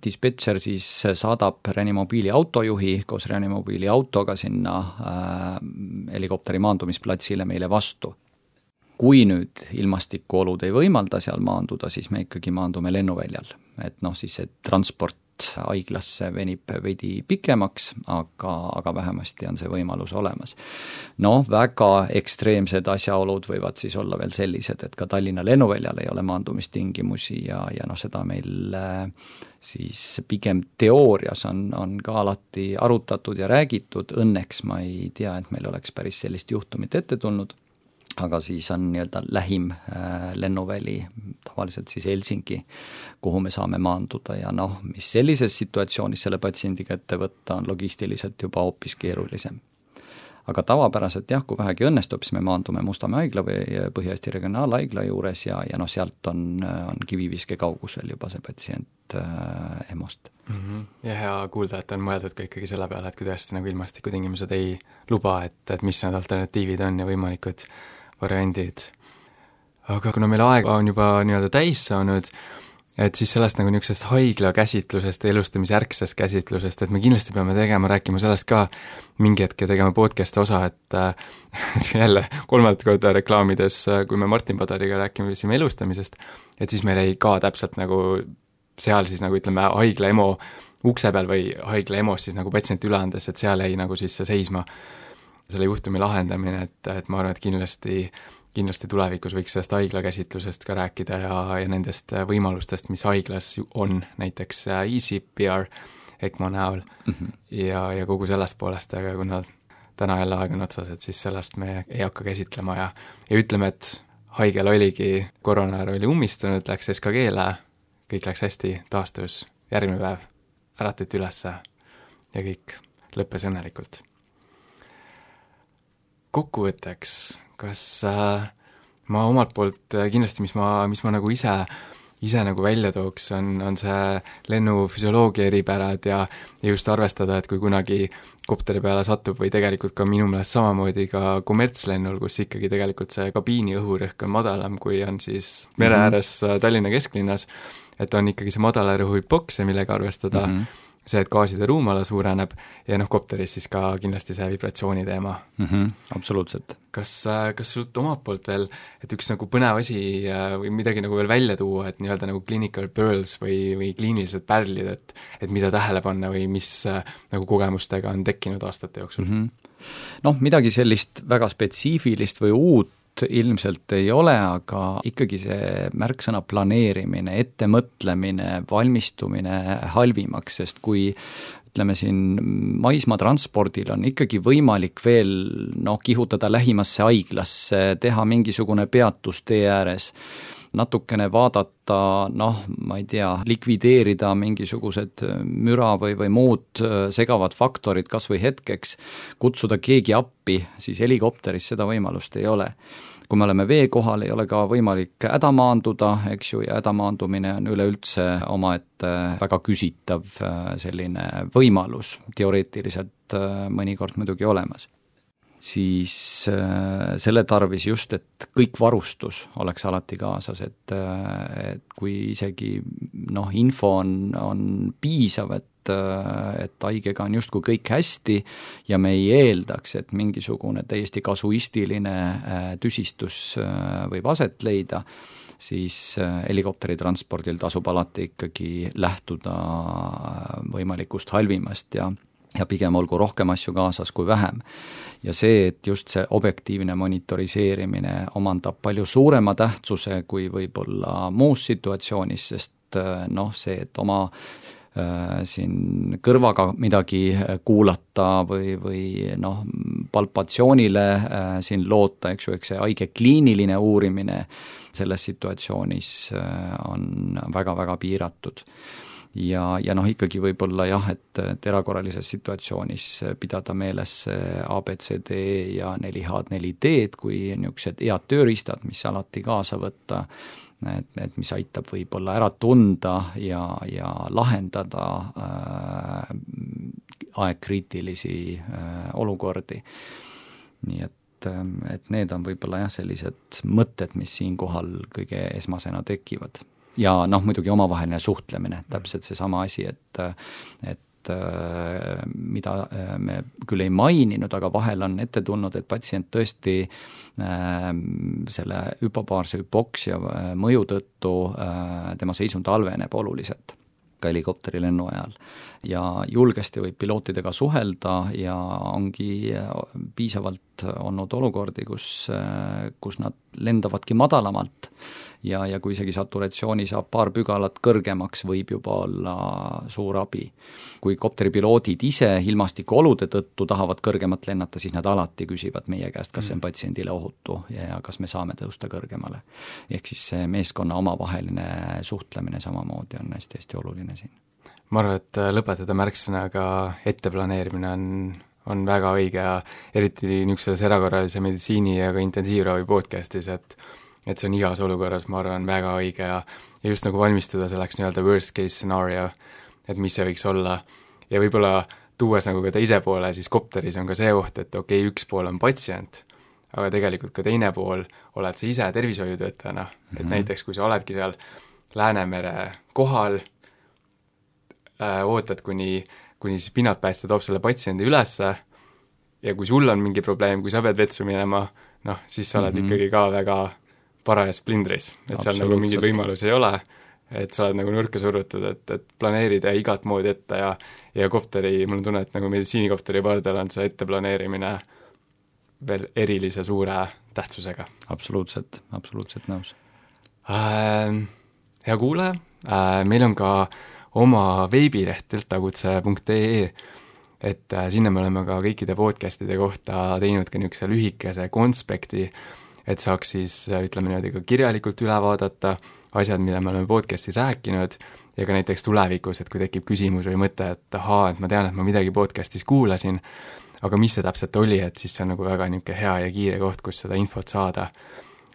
dispetšer siis saadab reanimobiili autojuhi koos reanimobiili autoga sinna äh, helikopteri maandumisplatsile meile vastu. Kui nüüd ilmastikuolud ei võimalda seal maanduda, siis me ikkagi maandume lennuväljal, et noh, siis see transport haiglasse venib veidi pikemaks, aga, aga vähemasti on see võimalus olemas. Noh, väga ekstreemsed asjaolud võivad siis olla veel sellised, et ka Tallinna lennuväljal ei ole maandumistingimusi ja, ja noh, seda meil siis pigem teoorias on, on ka alati arutatud ja räägitud, õnneks ma ei tea, et meil oleks päris sellist juhtumit ette tulnud, aga siis on nii-öelda lähim äh, lennuväli, tavaliselt siis Helsingi, kuhu me saame maanduda ja noh, mis sellises situatsioonis selle patsiendiga ette võtta, on logistiliselt juba hoopis keerulisem. aga tavapäraselt jah, kui vähegi õnnestub, siis me maandume Mustamäe haigla või Põhja-Eesti Regionaalhaigla juures ja, ja noh, sealt on, on kiviviske kaugusel juba see patsient äh, EMO-st. Mm -hmm. Ja hea kuulda, et on mõeldud ka ikkagi selle peale, et kui tõesti nagu ilmastikutingimused ei luba, et, et mis need alternatiivid on ja võimalikud variandid. Aga kuna meil aeg on juba nii-öelda täis saanud, et siis sellest nagu niisugusest haigla käsitlusest ja elustamisjärgsest käsitlusest, et me kindlasti peame tegema, rääkima sellest ka mingi hetk ja tegema podcast'i osa, et, et jälle kolmandat korda reklaamides, kui me Martin Padariga rääkisime elustamisest, et siis meil ei ka täpselt nagu seal siis nagu ütleme haigla EMO ukse peal või haigla EMO-s siis nagu patsient üle andes, et seal jäi nagu siis see seisma selle juhtumi lahendamine, et, et ma arvan, et kindlasti kindlasti tulevikus võiks sellest haigla käsitlusest ka rääkida ja, ja nendest võimalustest, mis haiglas on, näiteks Easy P R ECMO näol mm -hmm. ja, ja kogu sellest poolest, aga kuna täna jälle aeg on otsas, et siis sellest me ei hakka käsitlema ja, ja ütleme, et haigel oligi, koroonajal oli ummistunud, läks S K G-le, kõik läks hästi, taastus, järgmine päev äratati ülesse ja kõik lõppes õnnelikult. Kokkuvõtteks, kas äh, ma omalt poolt äh, kindlasti, mis ma, mis ma nagu ise, ise nagu välja tooks, on, on see lennufüsioloogia eripärad ja, ja just arvestada, et kui kunagi kopteri peale satub või tegelikult ka minu meelest samamoodi ka kommertslennul, kus ikkagi tegelikult see kabiini õhurõhk on madalam, kui on siis mere ääres mm -hmm. Tallinna kesklinnas, et on ikkagi see madala rõhu hüpoksia, millega arvestada mm, -hmm. see, et gaaside ruumala suureneb ja noh, kopteris siis ka kindlasti see vibratsiooni teema mm. -hmm, absoluutselt. Kas, kas sult omalt poolt veel, et üks nagu põnev asi või midagi nagu veel välja tuua, et nii-öelda nagu clinical pearls või, või kliinilised pärlid, et, et mida tähele panna või mis nagu kogemustega on tekkinud aastate jooksul mm? -hmm. Noh, midagi sellist väga spetsiifilist või uut ilmselt ei ole, aga ikkagi see märksõna planeerimine, ettemõtlemine, valmistumine halvimaks, sest kui ütleme siin maismaatranspordil on ikkagi võimalik veel noh, kihutada lähimasse haiglasse, teha mingisugune peatus tee ääres, natukene vaadata, noh, ma ei tea, likvideerida mingisugused müra või, või muud segavad faktorid kas või hetkeks, kutsuda keegi appi, siis helikopteris seda võimalust ei ole. Kui me oleme vee kohal, ei ole ka võimalik häda maanduda, eks ju, ja häda maandumine on üleüldse omaette väga küsitav selline võimalus, teoreetiliselt mõnikord muidugi olemas. Siis selle tarvis just, et kõik varustus oleks alati kaasas, et, et kui isegi noh, info on, on piisav, et et haigega on justkui kõik hästi ja me ei eeldaks, et mingisugune täiesti kasuistiline tüsistus võib aset leida, siis helikopteritranspordil tasub alati ikkagi lähtuda võimalikust halvimast ja ja pigem olgu rohkem asju kaasas kui vähem. Ja see, et just see objektiivne monitoriseerimine omandab palju suurema tähtsuse kui võib-olla muus situatsioonis, sest noh, see, et oma siin kõrvaga midagi kuulata või, või noh, palpatsioonile siin loota, eks ju, eks see haige kliiniline uurimine selles situatsioonis on väga-väga piiratud. Ja, ja noh, ikkagi võib-olla jah, et, et erakorralises situatsioonis pidada meeles A B C D ja neli H neli D-d kui niisugused head tööriistad, mis alati kaasa võtta, et, et mis aitab võib-olla ära tunda ja, ja lahendada äh, aegkriitilisi äh, olukordi. Nii et, et need on võib-olla jah, sellised mõtted, mis siinkohal kõige esmasena tekivad. Ja noh, muidugi omavaheline suhtlemine, täpselt seesama asi, et, et mida me küll ei maininud, aga vahel on ette tulnud, et patsient tõesti äh, selle hüpobaarse hüpoksia mõju tõttu äh, tema seisund halveneb oluliselt ka helikopterilennu ajal. Ja julgesti võib pilootidega suhelda ja ongi piisavalt olnud olukordi, kus, kus nad lendavadki madalamalt ja, ja kui isegi saturatsiooni saab paar pügalat kõrgemaks, võib juba olla suur abi. Kui kopteripiloodid ise ilmastikuolude tõttu tahavad kõrgemat lennata, siis nad alati küsivad meie käest, kas see on patsiendile ohutu ja kas me saame tõusta kõrgemale. Ehk siis see meeskonna omavaheline suhtlemine samamoodi on hästi-hästi oluline siin. Ma arvan, et lõpetada märksõnaga etteplaneerimine on, on väga õige ja eriti niisuguses erakorralise meditsiini ja ka intensiivravi podcastis, et et see on igas olukorras, ma arvan, väga õige ja, ja just nagu valmistuda selleks nii-öelda worst case scenario, et mis see võiks olla. Ja võib-olla tuues nagu ka teise poole, siis kopteris on ka see oht, et okei okay,, üks pool on patsient, aga tegelikult ka teine pool oled sa ise tervishoiutöötajana, mm-hmm. et näiteks kui sa oledki seal Läänemere kohal, äh, ootad, kuni, kuni siis pinnatpäästja toob selle patsiendi ülesse ja kui sul on mingi probleem, kui sa pead vetsu minema, noh, siis sa oled mm-hmm. ikkagi ka väga parajas plindris, et seal nagu mingeid võimalusi ei ole, et sa oled nagu nurka surutud, et, et planeerida igat moodi ette ja, ja kopteri, mul on tunne, et nagu meditsiinikopteri pardal on see etteplaneerimine veel erilise suure tähtsusega. Absoluutselt, absoluutselt nõus äh,. Hea kuulaja, äh, meil on ka oma veebileht deltakutse punkt ee, et äh, sinna me oleme ka kõikide podcastide kohta teinud ka niisuguse lühikese konspekti, et saaks siis, ütleme niimoodi, ka kirjalikult üle vaadata asjad, mida me oleme podcastis rääkinud ja ka näiteks tulevikus, et kui tekib küsimus või mõte, et ahaa, et ma tean, et ma midagi podcastis kuulasin, aga mis see täpselt oli, et siis see on nagu väga niisugune hea ja kiire koht, kus seda infot saada.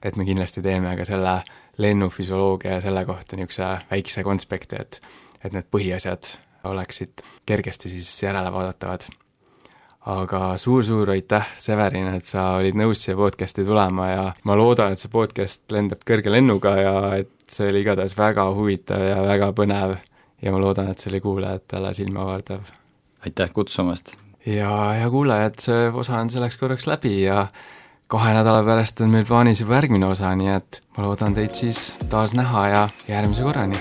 Et me kindlasti teeme ka selle lennufüsioloogia ja selle kohta niisuguse väikse konspekti, et, et need põhiasjad oleksid kergesti siis järele vaadatavad. Aga suur-suur aitäh, Severin, et sa olid nõus siia podcasti tulema ja ma loodan, et see podcast lendab kõrge lennuga ja et see oli igatahes väga huvitav ja väga põnev ja ma loodan, et see oli kuulajatele silmavardav. Aitäh kutsumast! Ja, ja kuulajad, see osa on selleks korraks läbi ja kahe nädala pärast on meil plaanis juba järgmine osa, nii et ma loodan teid siis taas näha ja järgmise korrani!